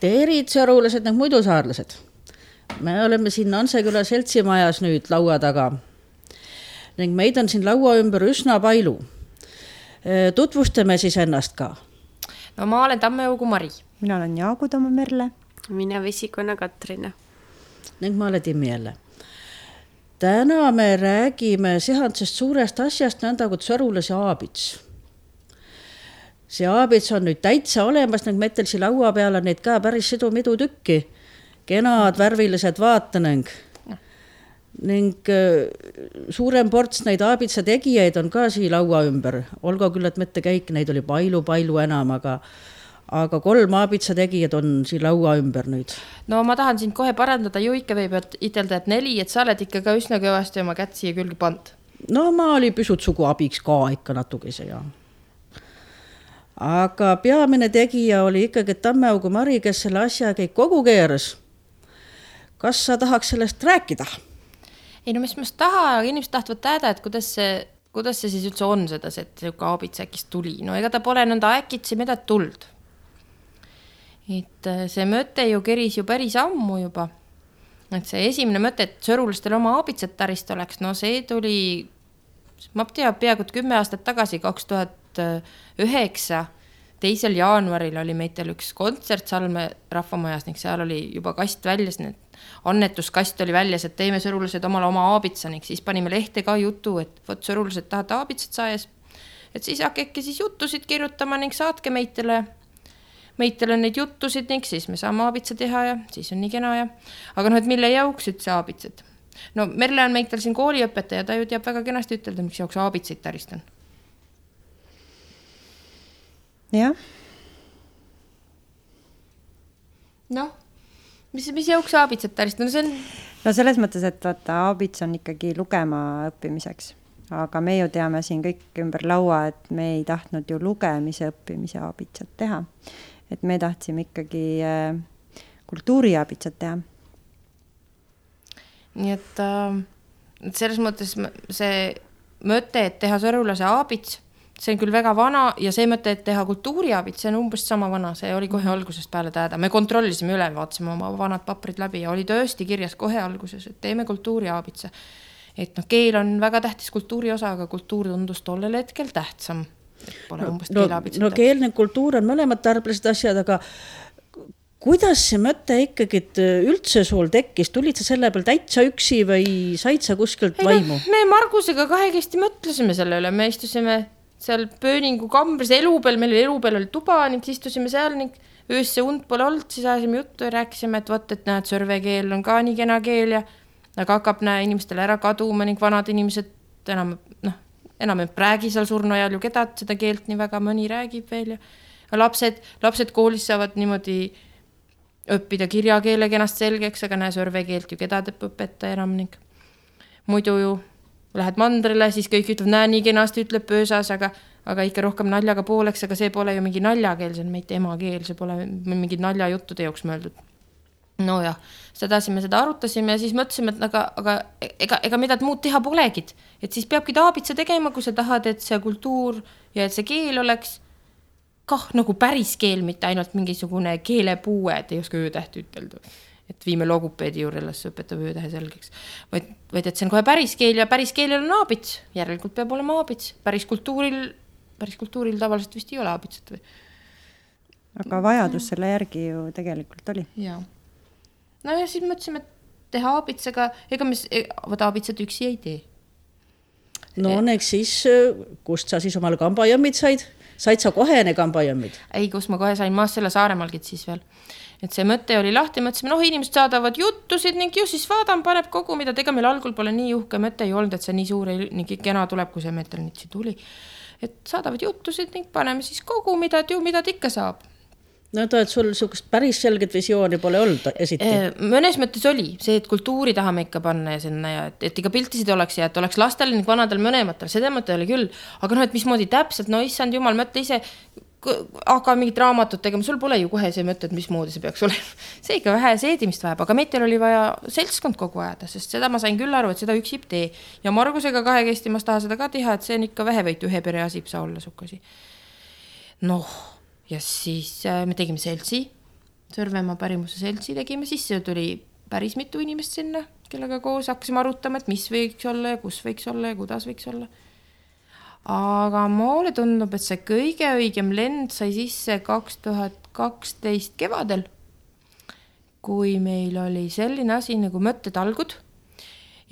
teerid, sõrulased, need muidu saarlased. Me oleme siin Anseküla seltsimajas nüüd laua taga ning meid on siin laua ümber üsna palju. Tutvustame siis ennast ka. No ma olen Tammejõugu Mari. Mina olen Jaagu Tamme Merle. Mina Vesikonna Katrina. Ning ma olen Timmi jälle. Täna me räägime sehansest suurest asjast nõnda kui sõrulas ja aabits. See aabits on nüüd täitsa olemas ning metel siin laua peal on neid ka päris mitu tükki. Kenad, värvilised vaataneng. Ning suurem ports neid aabitsa tegijaid on ka siin laua ümber. Olgu küll, et mitte käik, neid oli palju enam, aga 3 aabitsa tegijad on siin laua ümber nüüd. No ma tahan sind kohe parandada, ju ikka võib ütelda, et 4, et sa oled ikka ka üsna kõvasti oma kätt siia külge pand. No ma oli pisut sugu abiks ka ikka natukese, jah. Aga peamine tegija oli ikkagi Tammejõugu Mari, kes selle asja kõik kogu keeras. Kas sa tahaks sellest rääkida? Ei, no mis ma taha, aga inimesed tahtvad teada, et kuidas see siis üldse on seda, et aabits äkist tuli. No ega ta pole nõnda äkitsi mida tuld. Et see mõte ju keris ju päris ammu juba. Et see esimene mõte, et sõrulastel oma aabitsat tarist oleks, no see tuli, ma tean, peaaegu 10 aastat tagasi, 2009, 2. jaanuaril oli meitel üks kontsert Salme rahvamajas ning seal oli juba kast väljas, annetuskast oli väljas, et teeme sõrulased oma aabitsa ning siis panime lehte ka jutu, et võt sõrulased tahate aabitsat saes. Et siis hakake siis jutusid kirjutama ning saatke meitele neid jutusid ning siis me saame aabitsa teha ja siis on nii kena ja. Aga et mille jauks üldse aabitsad? No Merle on meitel siin kooliõpetaja, ta ju teab väga kenasti ütelda, miks jauks aabitsaid tarist on. Jah. Noh, mis jauks aabitsat tarist? No selles mõttes, et vaata, aabits on ikkagi lugema õppimiseks. Aga me ju teame siin kõik ümber laua, et me ei tahtnud ju lugemise õppimise aabitsat teha. Et me tahtsime ikkagi kultuuri aabitsat teha. Nii et selles mõttes see mõte, et teha sõrulase aabits, see on küll väga vana ja see mõte, et teha kultuuriaabits, see on umbes sama vana, see oli kohe algusest peale teada. Me kontrollisime üle, vaatasime oma vanad paprid läbi ja oli tõesti kirjas kohe alguses, et teeme kultuuriaabitsa. Et keel on väga tähtis kultuuri osa, aga kultuur tundus tollel hetkel tähtsam. No keelne kultuur on mõlemad tarbelised asjad, aga kuidas see mõte ikkagi üldse sul tekkis? Tulid sa selle peal täitsa üksi või said sa kuskilt vaimu? Me Margusega kahekesti mõtlesime selle üle, me istusime seal pööningu kambris elupeel, meil elupeel oli tuba ning istusime seal ning öösse und pole olnud, siis ajasime juttu ja rääkisime, et võt, et näed, sõrvekeel on ka nii kena keel ja aga hakkab inimestele ära kaduma ning vanad inimesed enam ei räägi seal surnuajal ju keda, seda keelt nii väga mõni räägib veel ja lapsed koolis saavad niimoodi õppida kirjakeele kenast selgeks, aga näe sõrvekeelt ju keda teeb õpetaja enam ning muidu ju lähed mandrile, siis kõik ütleb, näe nii kenasti ütleb pöösas, aga ikka rohkem naljaga pooleks, aga see pole ju mingi naljakeel, see on meid emakeel, see pole mingi naljajuttude jooks mõeldud. No jah, sedasi me seda arutasime ja siis mõtlesime, et aga ega midagi muud teha polegid. Et siis peabki aabitsa tegema, kui sa tahad, et see kultuur ja et see keel oleks kah nagu päris keel, mitte ainult mingisugune keelepuue, et ei oska öötähti ütelda. Et viime logopeedi juures õpetab öötähe selgeks. Vaid et see on kohe päris keel ja päris keelil on aabits. Järelikult peab olema aabits. Päris kultuuril tavaliselt vist ei ole aabitsat või? Aga vajadus selle järgi ju tegelikult oli. Jaa. No ja siis mõtlesime, et teha aabitsaga, ega me aabitsat üksi ei tee. No eks siis, kust sa siis omal kambajõmmid said? Said sa kohe ne kambajõmmid? Ei, kus ma kohe sain maas selle Saaremalgid siis veel. Et see mõte oli lahti, mõtlesime, inimesed saadavad jutusid ning ju siis vaadam, paneb kogu, mida tega meil algul pole nii uhke mõte ei olnud, et see nii suur nii kena tuleb, kui see metel nüüd tuli. Et saadavad jutusid ning paneme siis kogu, mida ikka saab. No et sul sukust päris selget visiooni pole olnud esiti? Mõnes mõttes oli see, et kultuuri tahame ikka panna ja sinna ja et ikka piltisid oleks ja et oleks lastel ning vanadel mõnematel, seda mõte oli küll. Aga et mismoodi täpselt, issand jumal, mõtle ise, aga mingit raamatut tegema, sul pole ju kohe see mõte, et mismoodi see peaks olema. See ikka vähe seedimist vajab, aga meitel oli vaja seltskond kogu ajada, sest seda ma sain küll aru, et seda üksi tee. Ja Margusega kahekesti ma taha seda ka teha, et see on ikka vähe võit ühe pere asib saa olla sukasi. Ja siis me tegime seltsi. Sõrvemaa pärimuse seltsi tegime, siis tuli päris mitu inimest sinna, kellega koos hakkasime arutama, et mis võiks olla ja kus võiks olla ja kuidas võiks olla. Aga mulle tundub, et see kõige õigem lend sai sisse 2012 kevadel, kui meil oli selline asi nagu mõttetalgud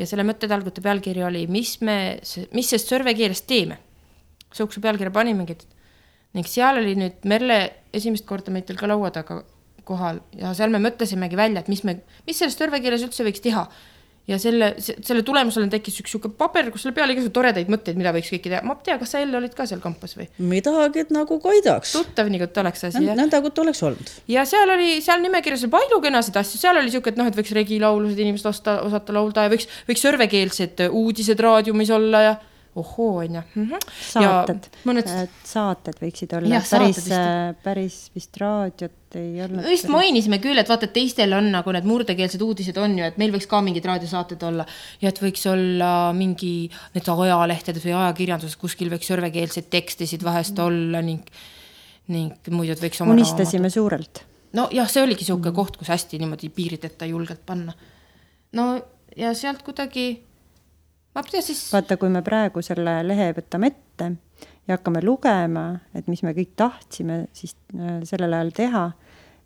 ja selle mõttetalgute pealkiri oli, mis sest sõrvekeelest teeme. Suukse pealkirja panimegi, ning seal oli nüüd Merle esimest korda meitel ka laua taga kohal ja seal me mõtlesimegi välja, et mis sellest sõrvekeeles üldse võiks teha. Ja selle tulemusel tekkis üks paber, kus selle peal igasugused toredaid mõtteid, mida võiks kõiki teha. Ma tea, kas sa jälle olid ka seal kampas või? Midagi nagu koidaks. Tuttav nii kui oleks asi. Nõnda kui oleks olnud. Ja seal nimekirjas oli palju kenasid asju. Seal oli siuke, et võiks regilaulusid inimesed osata laulda ja võiks sõrvekeelsed uudised raadiumis olla ja ohoo, on ja. Saated võiksid olla. Ja, päris vist raadiot ei olnud. Vist mainisime küll, et vaata, et teistel on nagu need murdekeelsed uudised on ju, et meil võiks ka mingid raadiosaated olla ja et võiks olla mingi need ajalehtedes või ajakirjanduses kuskil võiks sõrvekeelseid tekstisid vahest olla ning muidu võiks oma unistasime suurelt. No jah, see oligi siuke koht, kus hästi niimoodi piirideta julgelt panna. No ja sealt kuidagi Vaata, kui me praegu selle lehe võtame ette ja hakkame lugema, et mis me kõik tahtsime siis sellel ajal teha,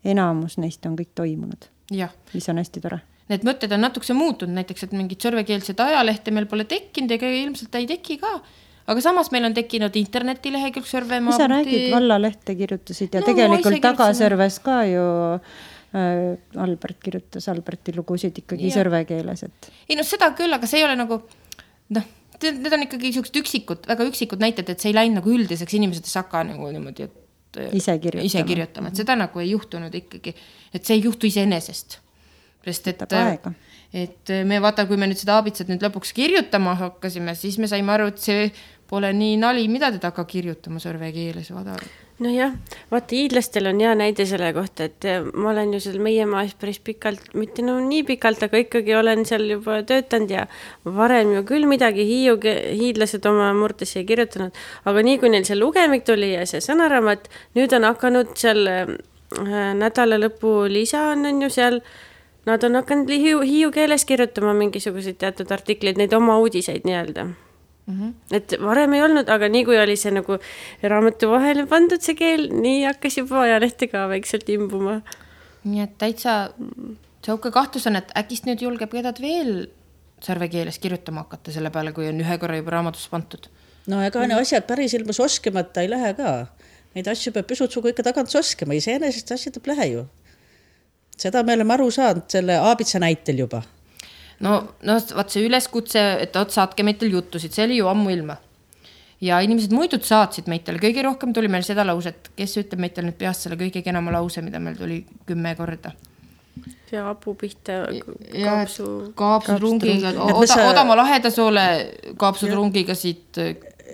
enamus neist on kõik toimunud, mis on hästi tore. Need mõtted on natukese muutunud, näiteks, et mingid sõrvekeelsed ajalehte meil pole tekkinud ega ilmselt ei teki ka, aga samas meil on tekkinud internetilehekülg Sõrvemaa. Mis sa räägid, vallalehte kirjutasid ja tegelikult Tagasõrves ka ju Albert kirjutas Alberti lugusid ikkagi sõrvekeeles. Ei no seda küll, aga see ei ole nagu need on ikkagi üksikud, väga üksikud näited, et see ei läinud nagu üldiseks inimesed ei hakka nagu niimoodi, et ise kirjutama. Et seda nagu ei juhtunud ikkagi, et see ei juhtu iseenesest. Et me vaata, kui me nüüd seda aabitsat nüüd lõpuks kirjutama hakkasime, siis me saime aru, et see pole nii nali, mida te hakka kirjutama sõrvekeeles, vaada. No jah, vaata hiidlastel on hea näide selle kohta, et ma olen ju seal meie maas päris pikalt, mitte nii pikalt, aga ikkagi olen seal juba töötanud ja varem ju küll midagi hiidlased oma murdes ei kirjutanud, aga nii kui neil see lugemik tuli ja see sõnaraamat, nüüd on hakanud seal nädala lõpu lisa on ju seal, nad on hakanud hiiu keeles kirjutama mingisuguseid teatud artikleid, neid oma uudiseid nii-öelda. Et varem ei olnud, aga nii kui oli see nagu raamatu vahele pandud see keel, nii hakkas juba ajalehte ka väikselt imbuma. Nii et täitsa siuke kahtlus on, et äkist nüüd julgeb kedad veel sõrvekeeles kirjutama hakata selle peale, kui on ühe korra juba raamatus pantud. No ega asjad päris ilmus oskemata ei lähe ka. Neid asju peab pisutsugu ikka tagant oskema, iseenesest asjad lähe ju. Seda me oleme aru saanud selle aabitsa näitel juba. No vaat see üleskutse, et saatke meitel jutusid, see oli ju ammu ilma. Ja inimesed muidud saatsid meitel, kõige rohkem tuli meil seda lauset, kes ütleb meitel nüüd peast selle kõige kenama lause, mida meil tuli 10 korda. See Abu pihta kaapsud rungiga, Odama Lahedasoole kaapsud rungiga siit.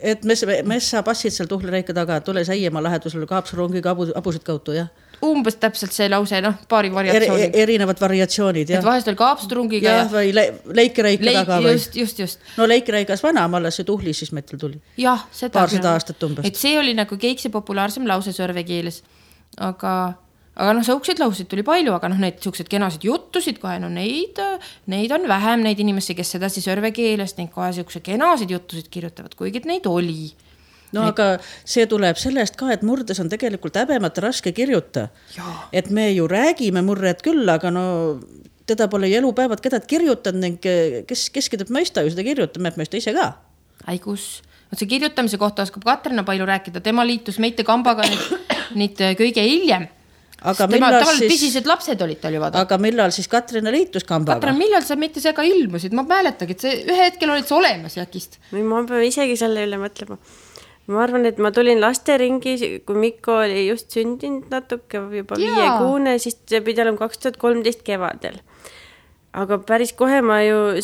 Et messa passid seal Tuhlreika taga, tule Säiemaa Lahedusele kaapsud rungiga abusid kautu, jah? Umbes täpselt see lause, paari variatsioonid. Erinevad variatsioonid, jah. Et vahest oli kaapsutrungiga. Ja või Leikereika taga või. Just. No Leikereikas vana, alles see Tuhli siis metel tuli. Jah, seda. Paarsada aastat umbes. Et see oli nagu keikse populaarsem lause sõrvekeeles. Aga siukseid lauseid tuli palju, aga need siuksed kenasid juttusid kohe, neid on vähem, neid inimesi, kes seda siis sõrvekeelest ning kohe siukse kenasid juttusid kirjutavad, kuigi neid oli. No aga see tuleb sellest ka, et murdes on tegelikult häbemata raske kirjuta. Et me ju räägime murred küll, aga teda pole elupäevad kedad kirjutanud ning kes kedab mõista ju seda kirjutab, me mõista ise ka. Aigus. See kirjutamise kohta oskab Katrina palju rääkida, tema liitus meite kambaga nüüd kõige hiljem. Pisised lapsed olid tal ju vaada. Aga millal siis Katrina liitus kambaga? Katrina, millal sa mitte seega ilmusid? Ma mäletagi, et see ühe hetkel olid see olemas jäkist. Ma pean isegi selle üle mõtlema. Ma arvan, et ma tulin lasteringi, kui Mikko oli just sündinud natuke, juba 5 kuune, siis pidi olema 2013 kevadel. Aga päris kohe ma ju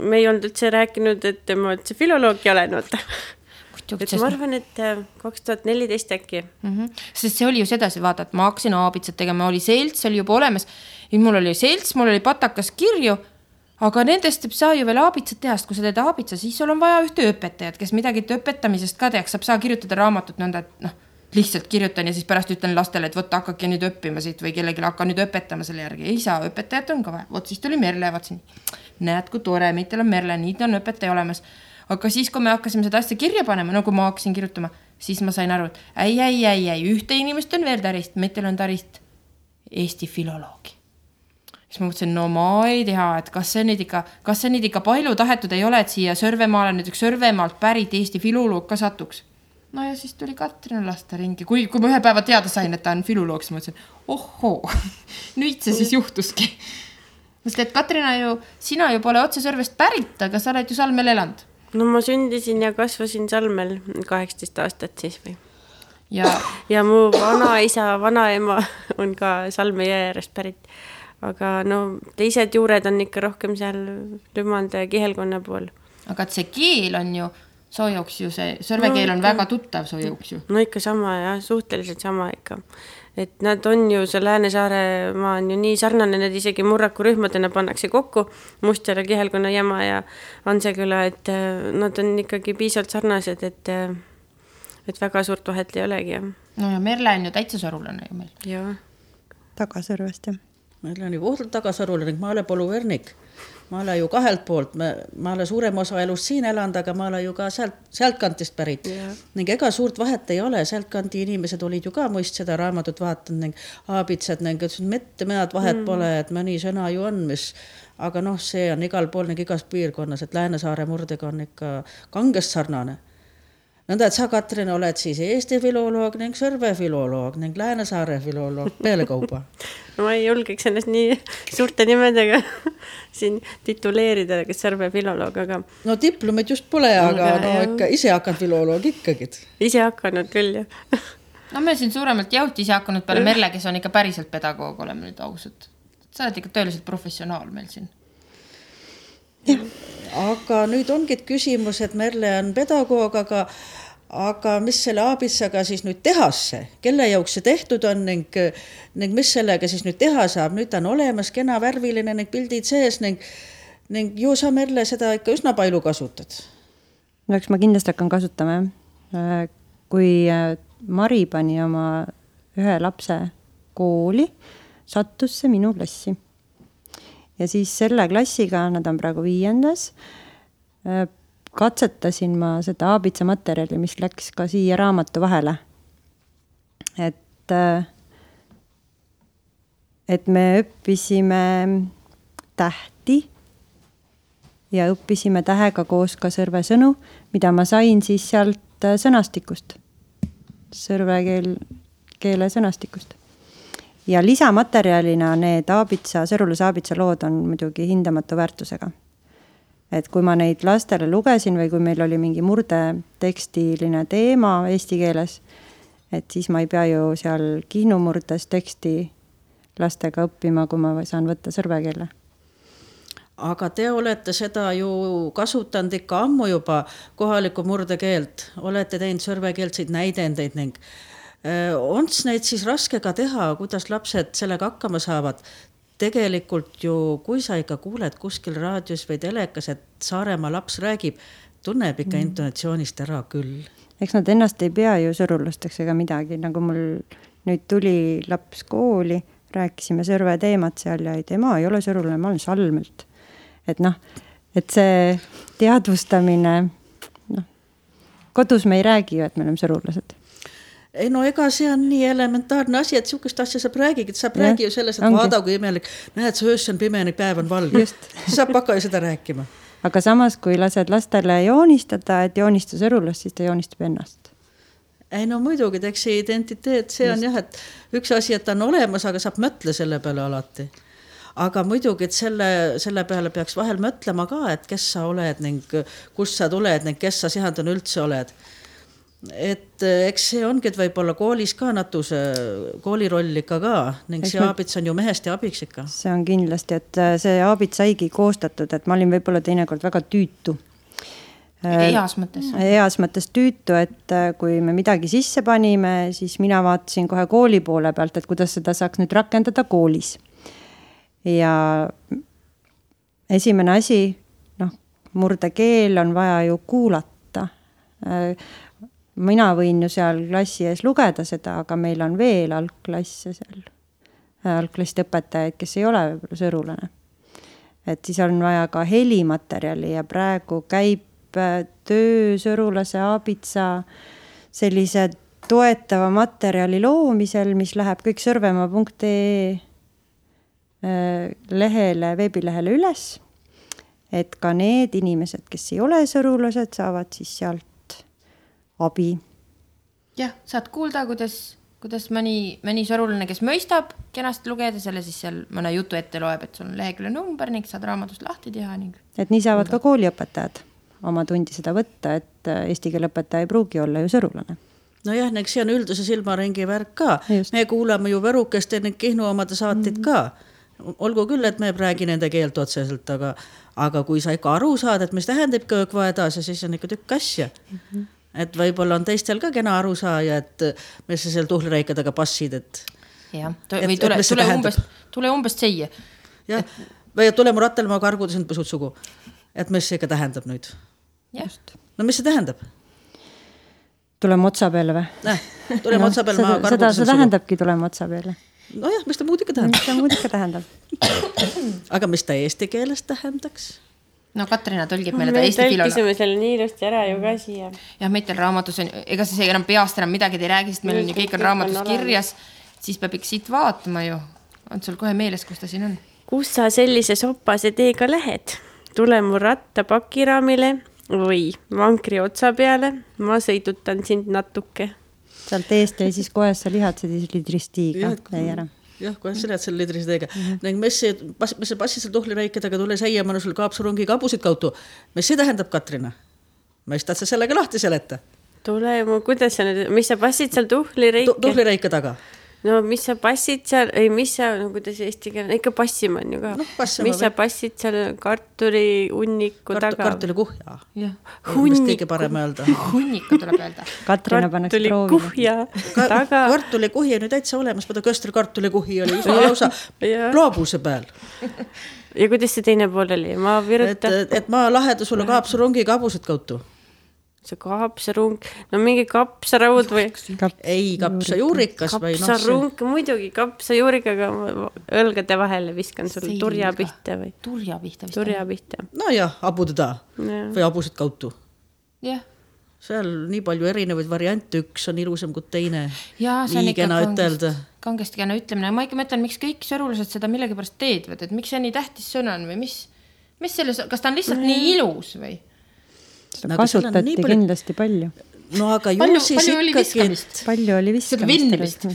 me ei olnud üldse rääkinud, et ma üldse filoloogi olen. Et ma arvan, et 2014 äkki. Sest see oli ju sedasi, vaata, et ma hakkasin aabitsat tegema, oli selts, oli juba olemas. Mul oli selts, mul oli patakas kirju, aga nendest saa ju veel aabitsat tehast, kui sa teed aabitsa, siis sul on vaja ühte õpetajat, kes midagi õpetamisest ka teaks, saab saa kirjutada raamatut nõnda, et lihtsalt kirjutan ja siis pärast ütlen lastele, et võtta hakake nüüd õppima siit või kellelegi hakka nüüd õpetama selle järgi. Ei saa, õpetajat on ka vaja. Vot siis tuli Merle, vaatasin, näed kui tore, meitel on Merle, nii on õpetaja olemas. Aga siis, kui me hakkasime seda asja kirja panema, nagu ma hakkasin kirjutama, siis ma sain aru, et ei, ühte inimest on veel tarist, meitel on tarist Eesti filoloogi. Siis ma mõtlesin, no ma ei tea, et kas see nüüd ikka palju tahetud ei ole, et siia Sõrvemaale nüüd üks Sõrvemaalt pärit Eesti filoloog ka satuks. No ja siis tuli Katrina lasta ringi. Kui ma ühe päeva teada sain, et ta on filoloog, siis ma mõtlesin, ohoo, nüüd see siis juhtuski. Sest et Katrina sina ju pole otse Sõrvest pärit, aga sa oled ju Salmel elanud. No ma sündisin ja kasvasin Salmel 18 aastat siis või. Ja mu vanaisa, vanaema on ka Salme jõe äärest pärit. Aga no teised juured on ikka rohkem seal Lümmalde ja Kihelkonna pool. Aga et see keel on ju soojauks ju, see sõrvekeel on väga tuttav soojauks ju. No ikka sama ja suhteliselt sama ikka. Et nad on ju, see Läänesaare maa on ju nii sarnane, need isegi murrakurühmadena pannakse kokku, Mustjärve, Kihelkonna, Jäma ja Anseküla, et nad on ikkagi piisavalt sarnased, et väga suurt vahet ei olegi. Ja. No ja Merle on ju täitsa sõrulane ju meil. Ja. Tagasõrvest, jah. Meil on ju puhtalt tagasõrulane, ma olen Poluvernik. Ma olen ju kahelt poolt, ma olen suurem osa elust siin elanud, aga ma olen ju ka sealt kantist pärit. Yeah. Ning ega suurt vahet ei ole, sealt kanti inimesed olid ju ka muist seda raamatut vaatanud ning aabitsad, ning mitte mead vahet pole, et mõni sõna ju on, aga noh, see on igal pool ning igas piirkonnas, et Läänesaare murdega on ikka kangest sarnane. Nõnda, et sa, Katrin, oled siis Eesti filoloog ning Sõrve filoloog ning Läänesaare filoloog pealekauba. No ma ei julgeks ennast nii suurte nimedega siin tituleerida, kes Sõrve filoloog, aga... No diplomid just pole, aga no ikka ise hakanud filoloog ikkagi. Ise hakanud küll, jah. No me siin suuremalt jauti ise hakanud peale Merle, kes on ikka päriselt pedagoog, oleme nüüd ausad. Sa oled ikka tõeliselt professionaal meil siin. jah, aga nüüd ongi küsimus, et Merle on pedagoog, aga mis selle aabitsaga siis nüüd tehasse, kelle jauks see tehtud on ning mis sellega siis nüüd teha saab, nüüd ta on olemas, kena värviline ning pildid sees ning ju sa Merle seda ikka üsna palju kasutad. No eks ma kindlasti hakkan kasutama. Kui Mari pani oma ühe lapse kooli, sattus see minu klassi. Ja siis selle klassiga, nad on praegu 5. Katsetasin ma seda aabitsa materjali, mis läks ka siia raamatu vahele. Et me õppisime tähti ja õppisime tähega koos ka Sõrve sõnu, mida ma sain siis sealt sõnastikust, Sõrve keele sõnastikust. Ja lisamaterjalina need sõruluse aabitsa lood on muidugi hindamatu väärtusega. Et kui ma neid lastele lugesin või kui meil oli mingi murdetekstiline teema eesti keeles, et siis ma ei pea ju seal Kihnu murdes teksti lastega õppima, kui ma saan võtta sõrve keele. Aga te olete seda ju kasutanud ikka ammu juba kohaliku murdekeelt. Olete teinud sõrvekeeltseid näidendeid ning on neid siis raske ka teha, kuidas lapsed sellega hakkama saavad? Tegelikult ju, kui sa ikka kuuled kuskil raadios või telekas, et Saaremaa laps räägib, tunneb ikka intonatsioonist ära küll. Eks nad ennast ei pea ju sõrulusteks ega midagi, nagu mul nüüd tuli laps kooli, rääkisime Sõrve teemat seal ja tema ei ole sõrulane, ma olen Salmelt. Et see teadvustamine, kodus me ei räägi ju, et me oleme sõrulased. Ei no ega see on nii elementaarne asi, et sihukest asja saab räägi ju selles, et vaada kui imelik, näed, see öös on pime, päev on valge. Saab hakka ju seda rääkima. Aga samas, kui lased lastele joonistada, et joonista sõrulast, siis ta joonistab ennast. Ei no muidugi, eks see identiteet, see on jah, et üks asi, et ta on olemas, aga saab mõtle selle peale alati. Aga muidugi, et selle peale peaks vahel mõtlema ka, et kes sa oled ning kust sa tuled ning kes sa sehandun üldse oled. Et eks see ongi, et võib-olla koolis ka natuse kooliroll ikka ka ning see aabits on ju mehest ja abiks ikka. See on kindlasti, et see aabits saigi koostatud, et ma olin võib-olla teinekord väga tüütu. Eas mõttes. Eas mõttes tüütu, et kui me midagi sisse panime, siis mina vaatasin kohe kooli poole pealt, et kuidas seda saaks nüüd rakendada koolis. Ja esimene asi, murdekeel on vaja ju kuulata. mina võin ju seal klassi ees lugeda seda, aga meil on veel algklasse seal, algklasside õpetajaid, kes ei ole võib-olla sõrulane. Et siis on vaja ka helimaterjali ja praegu käib töö sõrulase aabitsa sellise toetava materjali loomisel, mis läheb kõik sõrvemaa.ee lehele, veebilehele üles, et ka need inimesed, kes ei ole sõrulased, saavad siis sealt abi. Jah, saad kuulda, kuidas mõni sõrulane, kes mõistab kenasti lugeda, selle siis seal mõne jutu ette loeb, et sul on lehekülje number ning saad raamatust lahti teha. Et nii saavad ka kooliõpetajad oma tundi seda võtta, et eesti keele õpetaja ei pruugi olla ju sõrulane. No jah, see on ülduse silmaringi värk ka. Just. Me kuulame ju Võrukest ja Kihnu omade saateid ka. Olgu küll, et me räägi nende keelt otseselt, aga kui sa ikka aru saad, et mis tähendab kõõkva edasi, siis on ikka tükk asja. Et võib-olla on teistel ka kena aru saaja, et mis sa seal tuhlreikadega passid, et... Jah, või tule umbes seie. Jah, või tule mu rattel, ma kargudasin põsud sugu. Et mis see ikka tähendab nüüd? Just. No mis see tähendab? Tuleme otsa peale või? Tuleme otsa peale, ma kargudasin sugu. See tähendabki tuleme otsa peale. No jah, mis ta muud ikka tähendab? Mis ta muud ikka tähendab? Aga mis ta eesti keeles tähendaks? No Katrina tõlgib meile ta eesti filole. Me tõlkisime selle nii ilusti ära ju ka siia. Jah, meitel raamatus on, ega see enam peast enam midagi ei räägi, sest meil on ju kõik on raamatus kirjas, siis peab ikka siit vaatama ju. On sul kohe meeles, kus ta siin on? Kus sa sellise sopase teega lähed? Tule mu ratta pakiraamile või vankri otsa peale, ma sõidutan sind natuke. Sealt eest jäi siis kohe sa lihad see lidristiiga jäi ära. Jah, kohe sa lihad selle lidristiiga. Mis see passid seal tuhlireikadega tule säiamana sul kaapsurungi kabusid kautu. Mis see tähendab, Katrina? Ma istad sa sellega lahti seleta? Tule mu, kuidas sa nüüd, mis sa passid seal tuhlireika taga? No mis sa passid seal, ei mis sa, no kuidas eesti keele, ikka passima on ju ka. Mis sa passid seal kartuli hunniku taga? Kartuli kuhja. Hunniku. Mis parem öelda? Hunniku tuleb öelda. Katrina pannaks proovile. Kartuli kuhi on ju täitsa olemas, mida Köstri kartuli kuhi oli lausa loobuse peal. Ja kuidas see teine pool oli? Ma viruta. Et ma laheda sulle kaapsurungi kabusid kautu. See kapsarung, no mingi kapsaraud või? Ei, kapsajuurikas või kapsarung, muidugi kapsajuurikaga õlgade vahele viskan sul turja pihta või? Turja pihta. No jah, abudeda või abusid kautu. Jah. Seal nii palju erinevaid variante, üks on ilusam kui teine. Jaa, see on ikka kangesti kena ütlemine. Ma ikka mõtlen, miks kõik sõrulased seda millegipärast teedvad, et miks see nii tähtis sõna on või mis selles, kas ta on lihtsalt nii ilus või? Seda kasutati kindlasti palju. No aga ju siis ikkagi... Palju oli viskamist.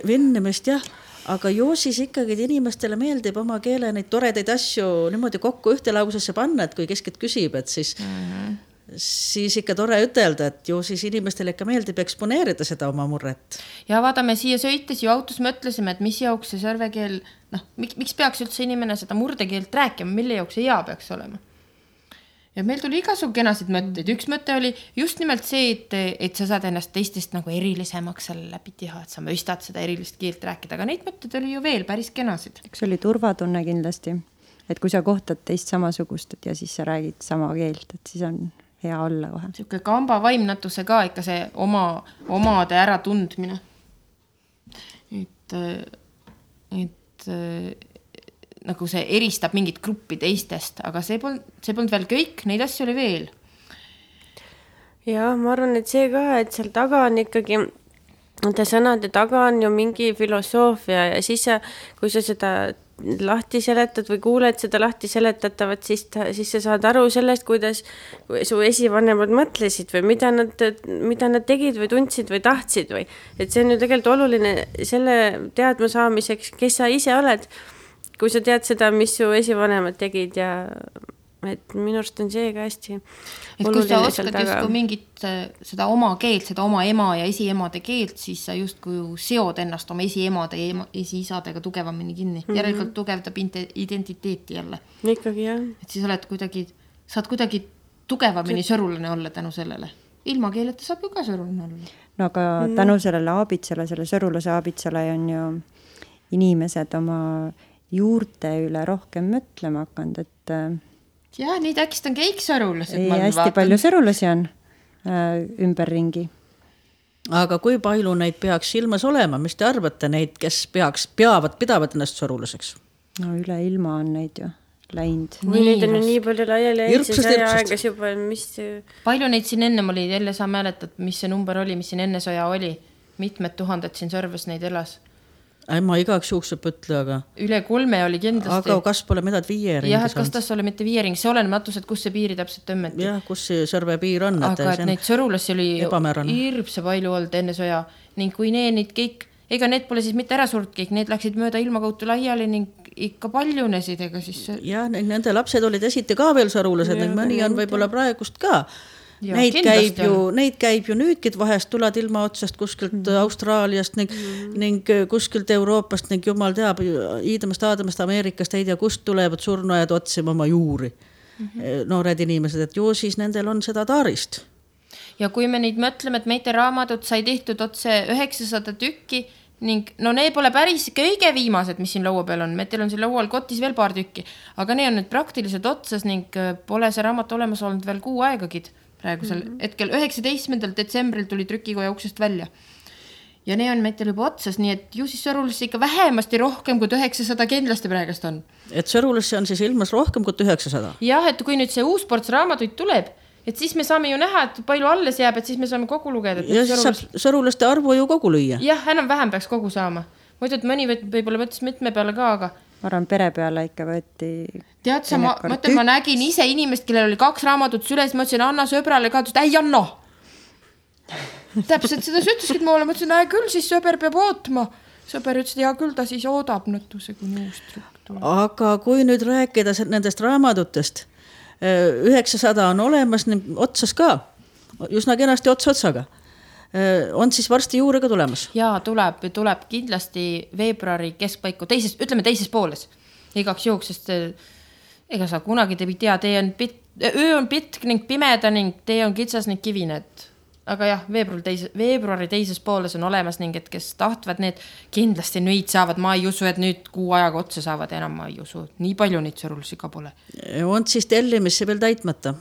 Vinnimist, jah. Aga ju siis ikkagi inimestele meeldib oma keele neid toredaid asju niimoodi kokku ühte lausesse panna, et kui keskelt küsib, et siis ikka tore ütelda, et ju siis inimestele ikka meeldib eksponeerida seda oma murret. Ja vaatame siia sõites ju autos mõtlesime, et mis jaoks see sõrvekeel, miks peaks üldse inimene seda murdekeelt rääkima, mille jaoks see hea peaks olema? Ja meil tuli igasugu kenasid mõtteid. Üks mõte oli just nimelt see, et sa saad ennast teistest nagu erilisemaks selle läbi teha, et sa mõistad seda erilist keelt rääkida, aga neid mõtteid oli ju veel päris kenasid. Eks oli turvatunne kindlasti, et kui sa kohtad teist samasugust ja siis sa räägid sama keelt, et siis on hea olla kohe. Siuke kamba vaimnatuse ka ikka see omade ära tundmine. Et nagu see eristab mingit gruppi teistest, aga see polnud veel kõik, neid asju oli veel. Ja ma arvan, et see ka, et seal taga on ikkagi, nende sõnade taga on ju mingi filosoofia ja siis kui sa seda lahti seletad või kuuled seda lahti seletatavat, siis sa saad aru sellest, kuidas su esivanemad mõtlesid või mida nad tegid või tundsid või tahtsid või. Et see on ju tegelikult oluline selle teadma saamiseks, kes sa ise oled. Kui sa tead seda, mis su esivanemad tegid ja et minu arust on see ka hästi oluline. Et kui sa oskad justkui mingit seda oma keelt, seda oma ema ja esiemade keelt, siis sa justkui seod ennast oma esiemade ja esiisadega tugevamini kinni. Järelikult tugevdab identiteeti jälle. Ikkagi jah. Et siis saad kuidagi tugevamini sõrulane olla tänu sellele. Ilma keeleta saab ju ka sõrulane olla. No aga tänu sellele aabitsale, selle sõrulase aabitsale on ju inimesed oma juurte üle rohkem mõtlema hakanud, et jah, neid äkist on kõik sõrulased. Hästi palju sõrulasi on ümberringi. aga kui palju neid peaks ilmas olema, mis te arvate neid, kes pidavad ennast sõrulaseks? No üle ilma on neid ju läinud. Neid on ju nii palju laiali eilses ajagas juba, mis... Palju neid siin ennem oli, jälle sa mäletad, mis see number oli, mis siin enne soja oli? Mitmed tuhanded siin Sõrves neid elas. Ma igaks juukseb ütle, aga... Üle 3 oli kindlasti. Aga kas pole midagi 5 ringi jah, kas tas ole mitte 5 ringi, see oleneb natused, kus see piiri täpselt tõmmeti. Jah, kus see Sõrve piir on. Aga et neid sõrulasi oli hirpse palju olnud enne soja ning kui need kõik, ega need pole siis mitte ära surnud kõik, need läksid mööda ilmakautu laiali ning ikka paljunesid, ega siis... Jah, nende lapsed olid esiti ka veel sõrulased, ning mõni on võib-olla praegust ka. Ja, neid käib ju nüüdki, vahest tuled ilma otsast kuskilt Austraaliast ning kuskilt Euroopast ning jumal teab, Aadamast, Ameerikast ei tea, kust tulevad surnuajad otsima oma juuri. Noored inimesed, et ju siis nendel on seda taarist. Ja kui me nüüd mõtleme, et meite raamatut sai tehtud otse 900 tükki ning no need pole päris kõige viimased, mis siin laua peal on. Metel on siin laual kotis veel paar tükki, aga need on nüüd praktiliselt otsas ning pole see raamat olemas olnud veel 6 aegagid. Praegusel hetkel 19. detsembril tuli trükikoja uksest välja. Ja need on meetel juba otsas, nii et ju siis sõrulasi ikka vähemasti rohkem kui 900 kindlasti praegust on. Et sõrulasi on siis ilmas rohkem kui 900? Jah, et kui nüüd see uus ports raamatuid tuleb, et siis me saame ju näha, et palju alles jääb, et siis me saame kogu lugeda. Ja siis saab sõrulaste arvu ju kogu lüüa. Jah, enam vähem peaks kogu saama. Muidu, et mõni võib-olla võttis mitme peale ka, aga... Ma arvan, pere peale ikka võeti... Tead sa, ma nägin ise inimest, kellel oli 2 raamatut süles, ma ütlesin, anna sõbrale ka, ei anna! Täpselt seda sa ütlesid mulle, ma ütlesin, küll siis sõber peab ootma. Sõber ütles, ja küll ta siis oodab natusega kui uus trükk. Aga kui nüüd rääkida nendest raamatutest, 900 on olemas, otsas ka, üsna kenasti otsaga. On siis varsti juurde ka tulemas? Jaa, tuleb kindlasti veebruari keskpaiku, teises pooles. Igaks juhuks, sest ega sa kunagi te ei tea, öö on pitk ning pimeda ning tee on kitsas ning kivine. Aga jah, veebruari teises pooles on olemas ning et kes tahtvad need kindlasti nüüd saavad. Ma ei usu, et nüüd 6 ajaga otsa saavad enam, ma ei usu. Nii palju neid sõrulisi ka pole. On siis tellimisse veel täitmata?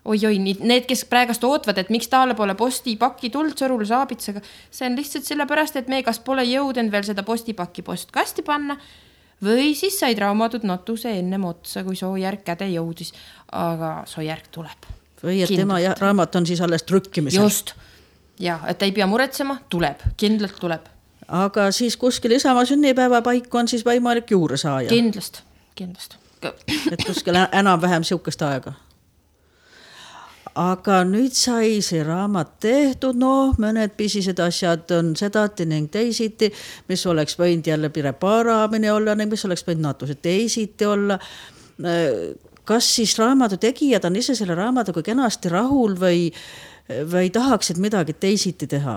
Oi, need, kes praegast ootvad, et miks taale pole postipakki tuld sõrulase aabitsaga, see on lihtsalt sellepärast, et me kas pole jõudnud veel seda postipakki postkasti panna või siis said raamatut natuse ennem otsa, kui soojärg käde jõudis, aga soojärg tuleb. Või et tema raamat on siis alles trükkimisel. Just, ja, et ei pea muretsema, kindlalt tuleb. Aga siis kuskil Isamaa sünnipäeva paiku on siis võimalik juurde saaja? Kindlast. Et kuskil enam-vähem siukest aega? Aga nüüd sai see raamat tehtud, mõned pisised asjad on sedati ning teisiti, mis oleks võinud jälle paramini olla, mis oleks võinud natuse teisiti olla. Kas siis raamatu tegijad on ise selle raamatuga kenasti rahul või tahaksid midagi teisiti teha,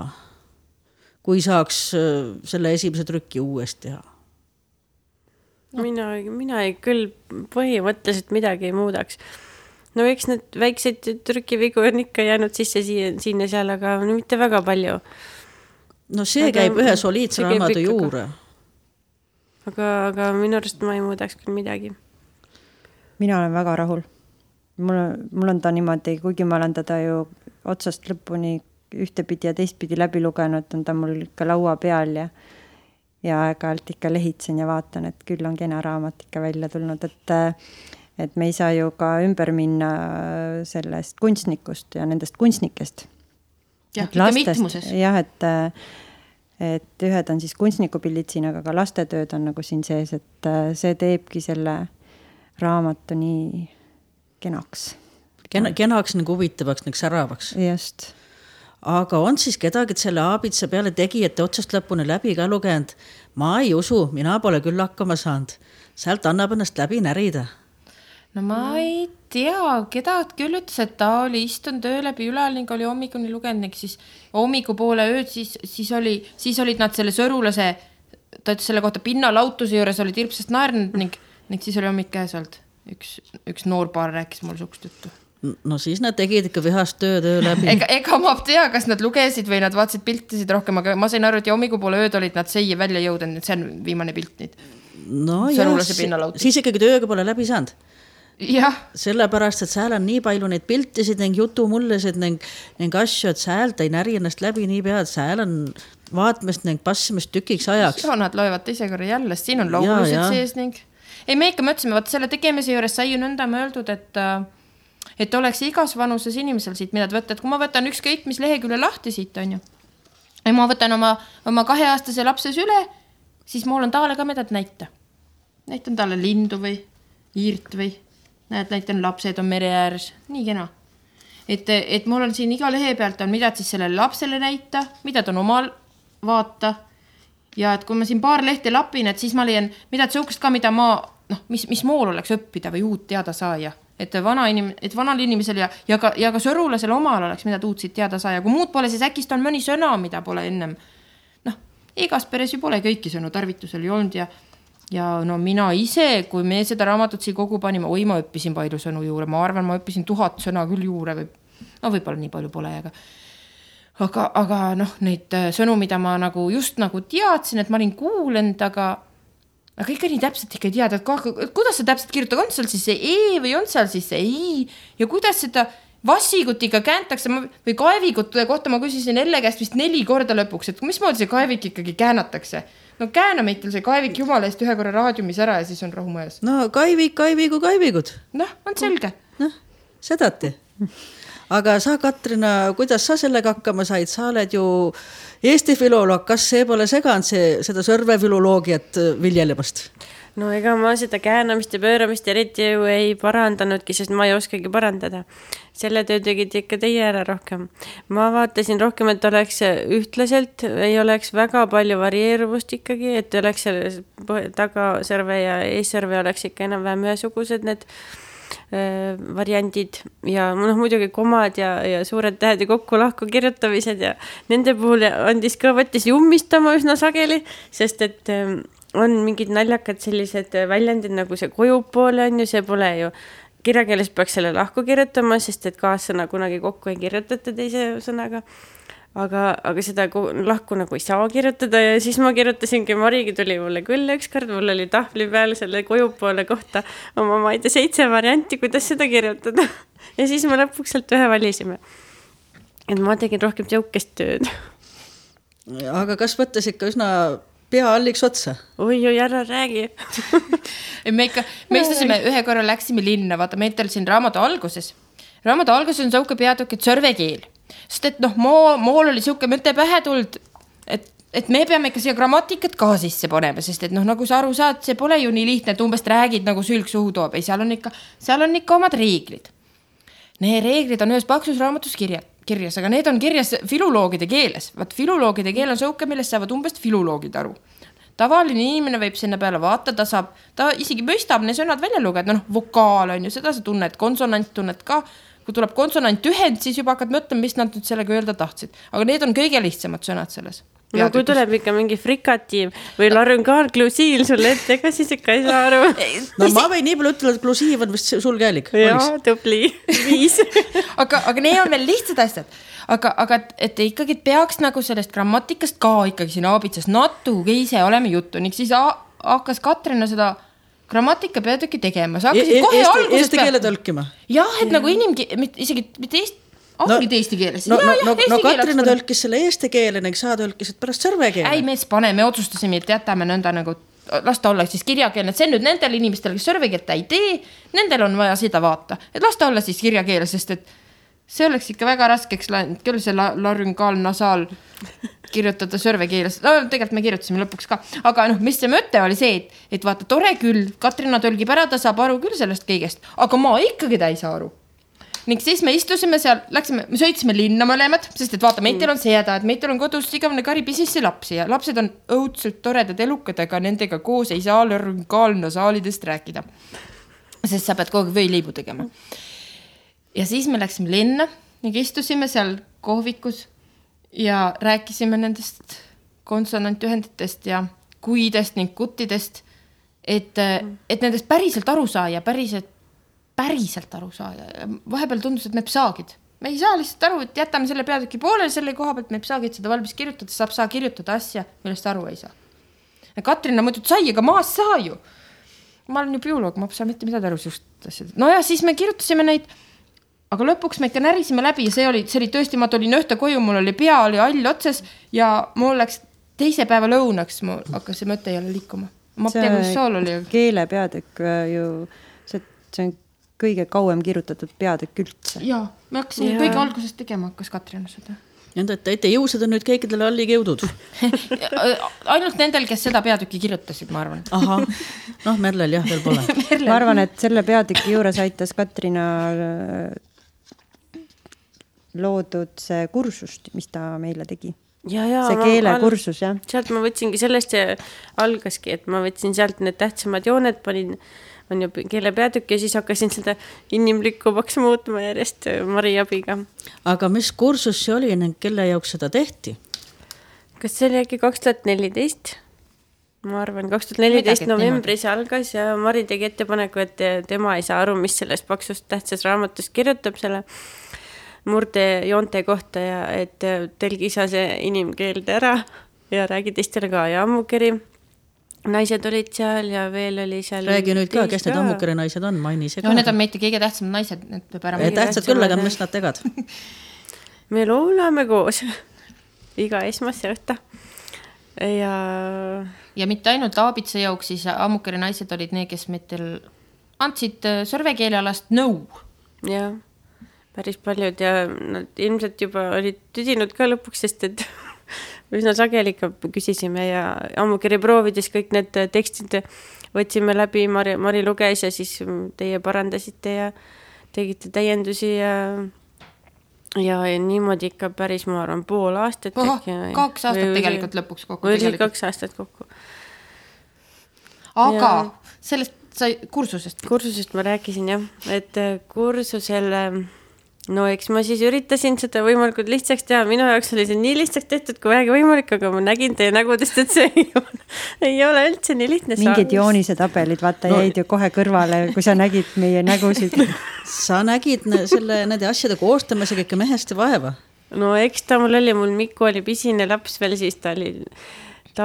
kui saaks selle esimese trükki uuesti teha? Mina ei küll põhimõtteliselt midagi ei muudaks. No eks need väikseid trükivigu on ikka jäänud sisse siin ja seal, aga mitte väga palju. No see käib ühe soliidse raamatu juurde. Aga minu arust ma ei muudaks küll midagi. Mina olen väga rahul. Mul on ta niimoodi, kuigi ma olen teda ju otsast lõpuni ühtepidi ja teistpidi läbi lugenud, on ta mul ikka laua peal ja aeg-ajalt ikka lehitsen ja vaatan, et küll on kena raamat ikka välja tulnud, et me ei saa ju ka ümber minna sellest kunstnikust ja nendest kunstnikest. Jah, ikka mitmuses. Jah, et ühed on siis kunstnikupildid siin, aga ka lastetööd on nagu siin sees, et see teebki selle raamatu nii kenaks. Kenaks nagu huvitavaks, nagu säravaks. Just. Aga on siis kedagi selle aabitsa peale tegijate otsast lõpuni läbi ka lugenud? Ma ei usu, mina pole küll hakkama saanud. Sealt annab ennast läbi närida. No ma ei tea, keda küll ütles, et ta oli istunud öö läbi ülal ning oli hommikuni lugenud, siis hommiku poole ööd, siis olid nad selle sõrulase, ta ütles selle kohta pinnalautuse juures olid hirpsast naernud ning siis oli hommik käes olnud. Üks noor paar rääkis mul sukust juttu. No siis nad tegid ikka vihast tööd öö läbi. Ega ma tea, kas nad lugesid või nad vaatasid piltisid rohkem, aga ma sain aru, et hommikul poole ööd olid nad seie välja jõudnud, et see on viimane pilt nüüd. No jah, siis ikkagi tööga pole läbi saanud. sellepärast, et seal on nii palju neid piltisid ning jutumullesid ning asju, et seal ta ei näri ennast läbi nii pea, et seal on vaatmist ning passimist tükiks ajaks. Nad loevad ise korra jälle, siin on laulusid sees ning... Ei, me ikka mõtlesime, vaat selle tegemise juures sai ju nõnda mõeldud, et oleks igas vanuses inimesel siit midagi võtta, et kui ma võtan ükskõik mis lehekülje lahti siit, on ju, ja ma võtan oma 2-aastase lapses üle, siis mul on taale ka midagi näita. Näitan talle lindu või iirt või näitan lapsed on mere ääres, nii kena. Et mul on siin iga lehe pealt on mida siis sellele lapsele näita, mida ta on omal vaata ja et kui ma siin paar lehte lapin, et siis ma leian midagi suukest ka, mida ma, mis mool oleks õppida või uut teada saia. Et vanal inimesel ja ka sõrulasel omal oleks midagi uut siit teada saia. Kui muud pole, siis äkist on mõni sõna, mida pole ennem. Igas peres ju pole kõiki sõnu tarvitusel ju olnud ja mina ise, kui me seda raamatut siin kogu panime, ma õppisin palju sõnu juurde, ma arvan, ma õppisin 1000 sõna küll juurde või võib-olla nii palju pole, aga neid sõnu, mida ma just teadsin, et ma olin kuulend, aga ikka nii täpselt ikka ei teada, et kuidas see täpselt kirjutada, on seal siis see E või on seal siis see I ja kuidas seda vassigut ikka kääntakse või kaevigut kohta ma küsisin Elle käest vist 4 korda lõpuks, et mismoodi see kaevik ikkagi käänatakse. Kääname ikka see kaevik jumala eest ühe korra raadiumis ära ja siis on rahu mõjas. Kaevigud. On selge. Sedati. Aga sa, Katrina, kuidas sa sellega hakkama said? Sa oled ju Eesti filoloog. Kas see pole seganud seda sõrvefiloloogiat viljelemast? No ega ma seda käänamist ja pööramist eriti ju ei parandanudki, sest ma ei oskagi parandada. Selle töö tegid ikka teie ära rohkem. Ma vaatasin rohkem, et oleks ühtlaselt, ei oleks väga palju varieeruvust ikkagi, et oleks tagasõrve ja eessõrve oleks ikka enam-vähem ühesugused need variandid ja muidugi komad ja suured tähed ja kokku-lahku kirjutamised ja nende puhul andis ka võttis jummistama üsna sageli, sest et on mingid naljakad sellised väljendid nagu see kojupoole on ju, see pole ju kirjakeeles peaks selle lahku kirjutama, sest et kaassõna kunagi kokku ei kirjutata teise sõnaga, aga seda lahku nagu ei saa kirjutada ja siis ma kirjutasingi, Marigi tuli mulle küll ükskord, mul oli tahvli peal selle kojupoole kohta oma ma ei tea 7 varianti, kuidas seda kirjutada ja siis me lõpuks sealt ühe valisime. Et ma tegin rohkem siukest tööd. Aga kas võttes ikka üsna pea alliks otsa? Oi, ära räägi. me istusime ühe korra läksime linna, vaata, meil siin raamatu alguses. Raamatu alguses on sauke peatükk, et sõrvekeel. Sest et mool oli siuke mõte pähe tuld, et me peame ikka siia grammatikat ka sisse panema, sest et nagu sa aru saad, see pole ju nii lihtne, et umbes räägid nagu sülg suhu toob. Ei, seal on ikka omad reeglid. Need reeglid on ühes paksus raamatus kirjas, aga need on kirjas filoloogide keeles. Vaat filoloogide keel on sõuke, millest saavad umbes filoloogid aru. Tavaline inimene võib sinna peale vaata, ta isegi mõistab need sõnad välja lugeda, vokaal on ju, seda sa tunned, konsonant tunned ka. Kui tuleb konsonant ühend, siis juba hakkad mõtlema, mis nad nüüd sellega öelda tahtsid. Aga need on kõige lihtsamad sõnad selles. No kui tuleb ikka mingi frikatiiv või laryngaalklusiil sulle ette, ega siis ikka ei saa aru. Ma võin nii palju ütelda, et klusiiv on vist sul käelik. Jaa, tubli. 5. aga need on veel lihtsad asjad. Aga et ikkagi peaks nagu sellest grammatikast ka ikkagi siin aabitsas natuke ise oleme juttu. Ning siis hakkas Katrina seda grammatika peatükki tegema. Sa hakkasid kohe algusest Eesti keele tõlkima. Jah, et nagu isegi mitte eesti keeles. Katrina tõlkis selle eesti keele ning sa tõlkisid pärast sõrvekeele. Ei, me otsustasime, et jätame nõnda nagu lasta olla siis kirjakeelne, et see nüüd nendel inimestel, kes sõrvekeelt ei tee, nendel on vaja seda vaata. Et lasta olla siis kirjakeele, sest et see oleks ikka väga raskeks läinud, küll see laryngaalnasaal kirjutada sõrvekeeles. Tegelikult me kirjutasime lõpuks ka. Aga mis see mõte oli see, et vaata, tore küll, Katrina tõlgib ära, ta saab aru küll sellest kõigest, aga ma ikkagi ta ei saa aru. Ning siis me istusime seal, me sõitsime linna mõlemad, sest et vaata, meitel on seda, et meitel on kodus igavene kari pisisse lapsi ja lapsed on õudselt toredad elukad, aga nendega koos ei saa laryngaalnasaalidest rääkida. Sest sa pead kogu võileibu tegema. Ja siis me läksime linna ning istusime seal kohvikus ja rääkisime nendest konsonantühenditest ja kuidest ning kuttidest, et nendest päriselt aru saa ja päriselt aru saa. Vahepeal tundus, et me saagid. Me ei saa lihtsalt aru, et jätame selle peatüki poolele selle koha pealt, me saagid seda valmis kirjutada, saa kirjutada asja, millest aru ei saa. Ja Katrina muidu sai, aga maas saa ju. ma olen ju bioloog, ma saan mitte midagi aru just asjad. No ja siis me kirjutasime neid, aga lõpuks me ikka närisime läbi ja see oli tõesti, ma tulin ühte koju, mul oli pea oli all otsas ja mul läks teise päeva lõunaks, mul hakkas see mõte jälle liikuma. Ma tean, kus sool oli. Keelepeatükk ju, see on kõige kauem kirjutatud peatükk üldse. Jaa, me hakkasime kõige algusest tegema, hakkas Katrina seda. Ja et jõused on nüüd kõikidele alligi jõudud. Ainult nendel, kes seda peatükki kirjutasid, ma arvan. Aha, noh, Merlel jah, veel pole. Ma arvan, et selle peatüki juures aitas Katrina loodud see kursust, mis ta meile tegi. See keelekursus, jah. Sealt ma võtsingi sellest ja algaski, et ma võtsin sealt need tähtsamad jooned, panin on ju keelepeatükk ja siis hakkasin seda inimlikkumaks muutma järjest Mari abiga. Aga mis kursus see oli, kelle jaoks seda tehti? Kas see oli äkki 2014? Ma arvan, 2014 novembris algas ja Mari tegi ettepaneku, et tema ei saa aru, mis sellest paksust tähtsas raamatus kirjutab selle murdejoonte kohta ja et telgi isa see inimkeelde ära ja räägi teistele ka ja Ammukeri naised olid seal ja veel oli seal... Räägi nüüd ka, kes need Ammukeri naised on, maini see ka. No need on meid kõige tähtsamad naised. Tähtsad küll, aga mis nad tegad? Me laulame koos iga esmasse õhta. Ja mitte ainult Aabitsa jooks, siis Ammukeri naised olid need, kes metel andsid sõrvekeelealast nõu. Jah, päris paljud ja nad ilmselt juba olid tüdinud ka lõpuks, sest et üsna sageli küsisime ja Ammukeri proovides kõik need tekstid võtsime läbi, Mari luges ja siis teie parandasite ja tegite täiendusi ja niimoodi ikka päris, ma arvan, pool aastat. 2 aastat tegelikult lõpuks kokku. Või 2 aastat kokku. Aga sellest sai kursusest? Kursusest ma rääkisin jah, et kursusel... No eks ma siis üritasin seda võimalikult lihtsaks teha. Minu jaoks oli see nii lihtsaks tehtud, kui vähegi võimalik, aga ma nägin teie nägudest, et see ei ole üldse nii lihtne. Mingid joonise tabelid, vaata, jäid ju kohe kõrvale, kui sa nägid meie nägusid. Sa nägid nende asjade koostamisega ikka mehesti vaeva? No eks ta mul Mikku oli pisine laps veel, siis ta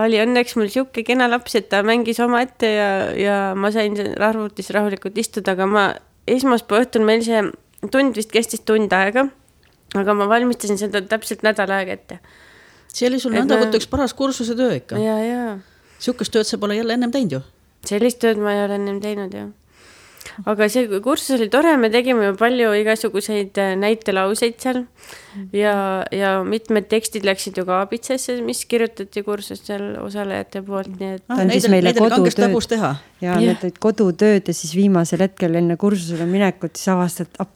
oli õnneks mul siuke kena laps, et ta mängis oma ette ja ma sain arvutis rahulikult istuda, aga esmaspäeva õhtul meil see tund vist kestis tund aega, aga ma valmistasin seda täpselt nädal aega ette. See oli sul nõnda üks paras kursuse töö ikka? Ja. Siukest tööd sa pole jälle ennem teinud ju? Sellist tööd ma ei ole ennem teinud, jah. Aga see kursus oli tore, me tegime palju igasuguseid näitelauseid seal ja mitmed tekstid läksid ju ka Aabitsasse, mis kirjutati kursusel osalejate poolt. Nii et... Neid kangest tabus teha? Ja need olid kodutööd ja siis viimasel hetkel enne kursusele minekut siis avastad appi.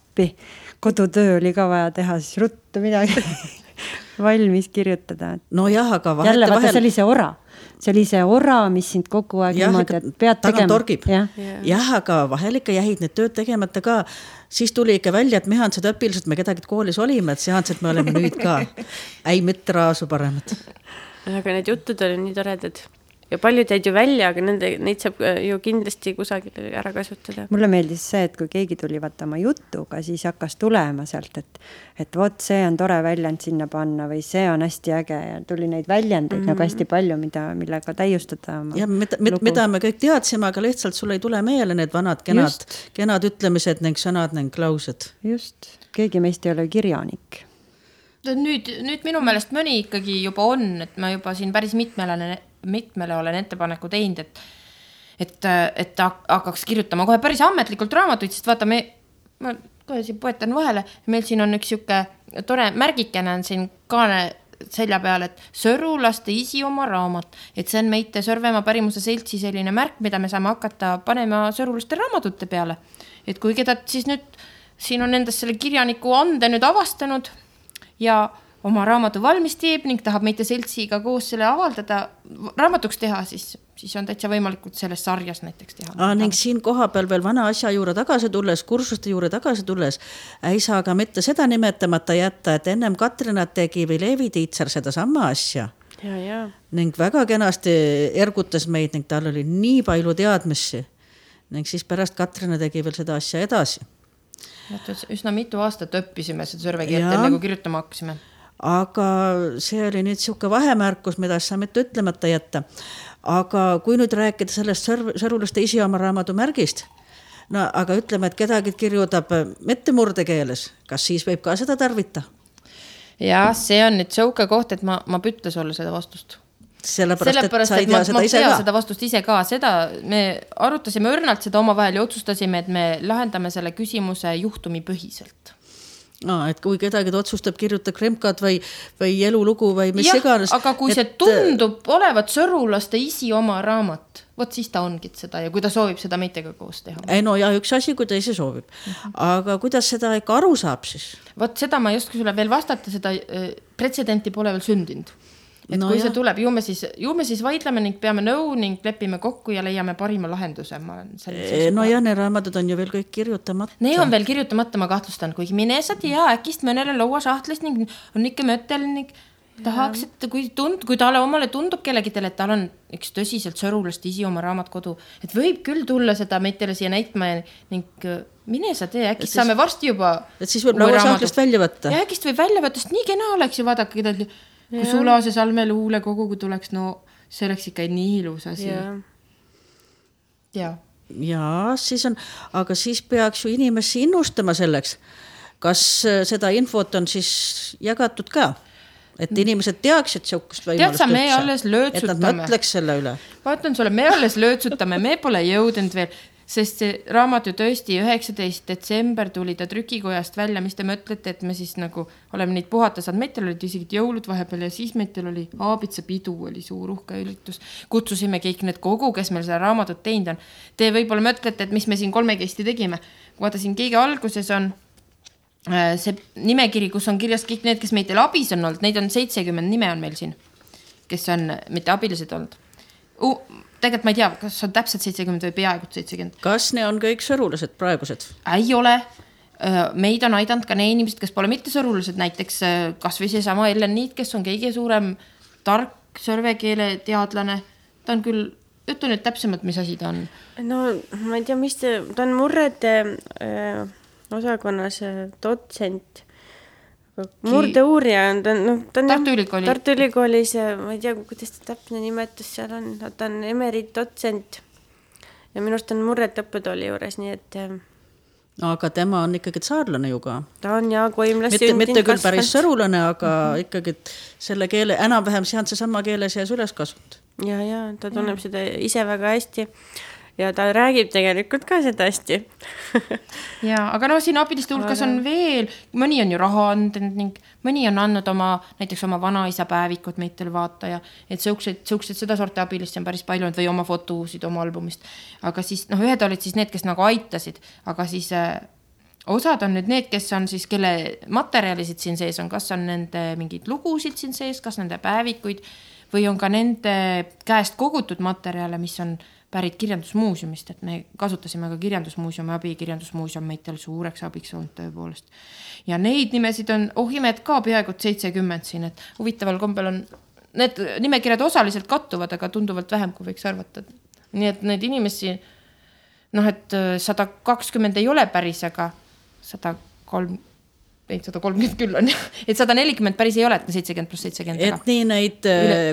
Kodutöö oli ka vaja teha, siis ruttu midagi valmis kirjutada. No jah, aga jälle vaata sellise ora. See oli see ora, mis sind kogu aeg niimoodi, et pead tegema. Jah, aga vahel ikka jäid need tööd tegemata ka. Siis tuli ikka välja, et mehansed õpilised, me kedagi koolis olime, et sehansed me oleme nüüd ka. Ei mitte raasu paremat. Aga need jutud oli nii toredad. Ja paljud jäid ju välja, aga neid saab ju kindlasti kusagil ära kasutada. Mulle meeldis see, et kui keegi tuli vaata oma jutuga, siis hakkas tulema sealt, et vot see on tore väljend sinna panna või see on hästi äge ja tuli neid väljendeid nagu hästi palju, millega täiustada. Ja mida me kõik teadsime, aga lihtsalt sul ei tule meele need vanad kenad ütlemised ning sõnad ning laused. Just, keegi meist ei ole kirjanik. Nüüd minu meelest mõni ikkagi juba on, et ma juba siin päris mitmele olen ettepaneku teinud, et hakkaks kirjutama kohe päris ametlikult raamatuid, sest vaata, ma kohe siin poetan vahele, meil siin on üks siuke tore märgikene on siin kaane selja peal, et Sõrulaste isi oma raamat, et see on meite Sõrvemaa pärimuse seltsi selline märk, mida me saame hakata panema Sõrulaste raamatute peale. Et kui keda siis nüüd, siin on endas selle kirjaniku ande nüüd avastanud ja oma raamatu valmis teeb ning tahab meite seltsiga koos selle avaldada, raamatuks teha, siis on täitsa võimalikult selles sarjas näiteks teha. Ning siin koha peal veel vana asja juurde tagasi tulles, kursuste juurde tagasi tulles, ei saa ka mitte seda nimetamata jätta, et ennem Katrina tegi või Leevi Tiitsar seda sama asja. Ja. Ning väga kenasti ergutas meid ning tal oli nii palju teadmisi. Ning siis pärast Katrina tegi veel seda asja edasi. Üsna mitu aastat õppisime seda sõrvekeelt, enne kui kirjutama hakkasime. aga see oli nüüd sihuke vahemärkus, mida ei saa mitte ütlemata jätta. Aga kui nüüd rääkida sellest Sõrulaste isiomaraamatu märgist, no aga ütleme, et kedagi kirjutab mittemurdekeeles, kas siis võib ka seda tarvita? Ja see on nüüd siuke koht, et ma pütle sulle seda vastust. Sellepärast, et sa ei tea seda ise ka. Seda vastust ise ka. Seda me arutasime õrnalt seda omavahel ja otsustasime, et me lahendame selle küsimuse juhtumi põhiselt. No, et kui kedagi otsustab kirjutada kremkad või elulugu või mis iganes. Aga kui see tundub olevat Sõrulaste isi oma raamat, võt siis ta ongi seda ja kui ta soovib seda meitega koos teha. Ei no ja üks asi, kui ta ise soovib. Aga kuidas seda ikka aru saab siis? Võt seda ma ei oska sulle veel vastata, seda pretsedenti pole veel sündinud. Et no kui see tuleb, ju me siis vaidleme ning peame nõu ning lepime kokku ja leiame parima lahenduse. No ja ne raamatud on ju veel kõik kirjutamata. Ne on veel kirjutamata, ma kahtlustan, kuigi mine sa tea, äkist mõnele laua sahtlis ning on ikka mõttel ning tahaks, et kui talle omale tundub kellegitele, et tal on üks tõsiselt Sõrulaste isi oma raamatkodu, et võib küll tulla seda meitele siia näitma ning mine sa tee, äkist saame varsti juba et siis võib laua sahtlist välja võtta. Ja äkist võib välja võtta, sest nii kena oleks ju vaadake, kui Sulase Salme luule kogu tuleks, no see oleks ikka nii ilus asi. Ja siis on, aga siis peaks ju inimesi innustama selleks. Kas seda infot on siis jagatud ka? Et inimesed teaksid siukest võimalust me alles löötsutame. Et nad mõtleks selle üle. Ma ütlen sulle, me alles löötsutame, me pole jõudnud veel, sest see raamat ju tõesti 19. detsember tuli ta trükikojast välja, mis te mõtlete, et me siis nagu oleme neid puhata saanud. Meitel olid isegi jõulud vahepeal ja siis meitel oli Aabitsa pidu, oli suur uhke ülitus. Kutsusime kõik need kogu, kes meil seda raamatut teinud on. Te võib-olla mõtlete, et mis me siin kolmekesti tegime. Vaata siin kõige alguses on see nimekiri, kus on kirjas kõik need, kes meitel abis on olnud. Neid on 70 nime on meil siin, kes on mitte abilised olnud. Tegelikult ma ei tea, kas on täpselt 70 või peaaegu 70. Kas ne on kõik sõrulased praegused? Ei ole. Meid on aidanud ka ne inimesed, kes pole mitte sõrulased, näiteks kas või see sama Ellen Niit, kes on kõige suurem tark sõrvekeele teadlane. Ta on küll, ütle nüüd täpsemalt, mis asi ta on. No ma ei tea, mis ta on murrede osakonnas dotsent. Murdeuurija on ta on Tartu Ülikoolis, ma ei tea, kuidas ta täpne nimetus seal on, ta on emerit dotsent ja minust on murret õppetooli juures, nii et aga tema on ikkagi tsaarlane ju ka. Ta on ja Koimlas sündinud mitte küll päris sõrulane, aga ikkagi selle keele, enam-vähem see on see sama keele seas üles kasvanud. Ja ta tunneb seda ise väga hästi. Ja ta räägib tegelikult ka seda hästi. Ja, aga no siin abiliste hulkas on veel, mõni on ju raha andnud ning mõni on andnud näiteks oma vanaisa päevikud meitel vaata ja et sõuksed seda sorti abilisti on päris palju või oma fotosid oma albumist. Aga siis, ühed olid siis need, kes nagu aitasid, aga siis osad on nüüd need, kes on siis, kelle materjalisid siin sees on, kas on nende mingid lugusid siin sees, kas nende päevikuid või on ka nende käest kogutud materjale, mis on pärit kirjandusmuuseumist, et me kasutasime ka kirjandusmuuseumi abi, kirjandusmuuseum meitel suureks abiks olnud tõepoolest. Ja neid nimesid on ohimed ka peaaegu 70 siin, et huvitaval kombel on, need nimekirjad osaliselt kattuvad, aga tunduvalt vähem, kui võiks arvata. Nii et need inimesi, et 120 ei ole päris, aga 130 küll on, et 140 päris ei ole, et 70 plus 70. Et nii neid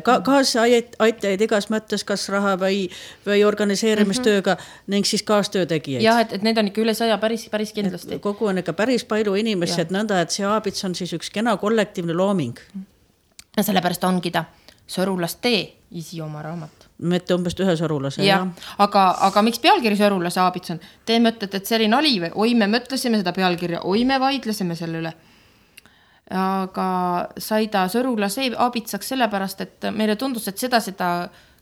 kaasaaitajaid igas mõttes, kas raha või organiseerimistööga ning siis kaastöötegijaid. Ja, et need on ikka üle 100 päris kindlasti. Kogu on ikka päris palju inimesi, et nõnda, et see Aabits on siis üks kena kollektiivne looming. Ja sellepärast ongi ta Sõrulaste isi oma raamat. Mitte umbes ühe sõrulase. Ja, aga miks pealkiri Sõrulase Aabits on? Te mõtlete, et see oli nali või? Oi, me mõtlesime seda pealkirja, oi, me vaidlesime selle üle. Aga sai ta Sõrulase Aabitsaks sellepärast, et meile tundus, et seda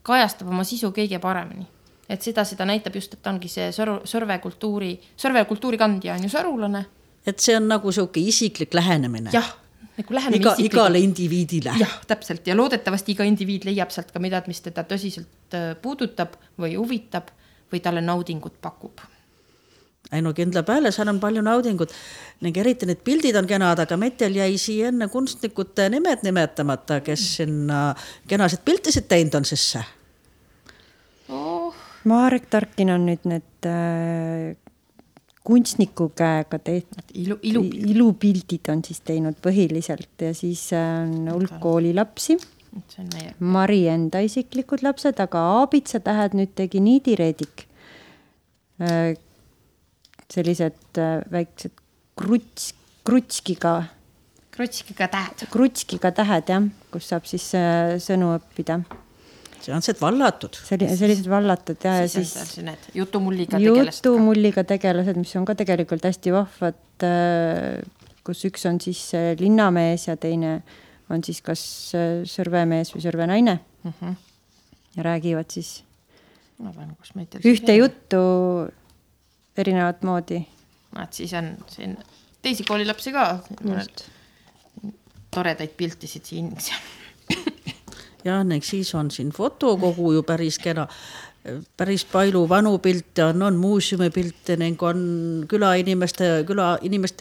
kajastab oma sisu kõige paremini. Et seda näitab just, et ongi see sõrvekultuuri kandja on ju sõrulane. Et see on nagu siuke isiklik lähenemine. Jah. Igale indiviidile. Jah, täpselt. Ja loodetavasti iga indiviid leiab sealt ka midagi, mis teda tõsiselt puudutab või huvitab või talle naudingut pakub. No kindla peale, seal on palju naudingut. Ning eriti need pildid on kenad, aga metel jäi siia enne kunstnikute nimed nimetamata, kes sinna kenasid piltisid teinud on sisse. Marek Tarkin on nüüd need kunstniku käega tehtud ilupildid on siis teinud põhiliselt ja siis on hulk koolilapsi. See on meie. Mari enda isiklikud lapsed, aga Aabitsa tähed nüüd tegi Niidireedik. Sellised väiksed krutskiga tähed, jah, kus saab siis sõnu õppida. See on see vallatud. Sellised vallatud ja siis jutumulliga tegelased, mis on ka tegelikult hästi vahvad, kus üks on siis linnamees ja teine on siis kas sõrvemees või sõrvenaine. Ja räägivad siis ühte juttu erinevat moodi. Siis on siin teisi koolilapsi ka. Toredaid piltisid siin. Ja siis on siin fotokogu ju päris kena. Päris palju vanu pilte on muuseumi pilte ning on külainimeste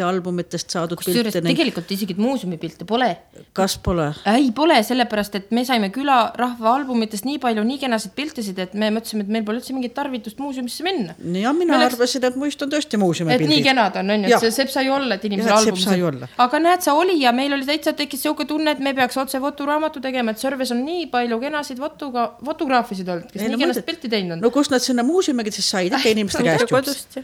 albumitest saadud pilte. Tegelikult isegi muuseumi pilte pole. Kas pole? Ei pole, sellepärast, et me saime külarahva albumitest nii palju nii kenasid piltisid, et me mõtlesime, et meil pole üldse mingit tarvitust muuseumisse minna. Ja mina arvasin, et muist on tõesti muuseumi pildid. Et nii kenad on, et see sepp sai olla, et inimesel albumised. Aga näed, sa oli ja meil oli täitsa tekkis selline tunne, et me peaks otse fotoraamatu tegema, et Sõrves on nii palju kenasid fotograafisid olnud, kes nii kenast pilti teinud. No kus nad sinna muuseumigid siis said, ikka inimeste käest jutt.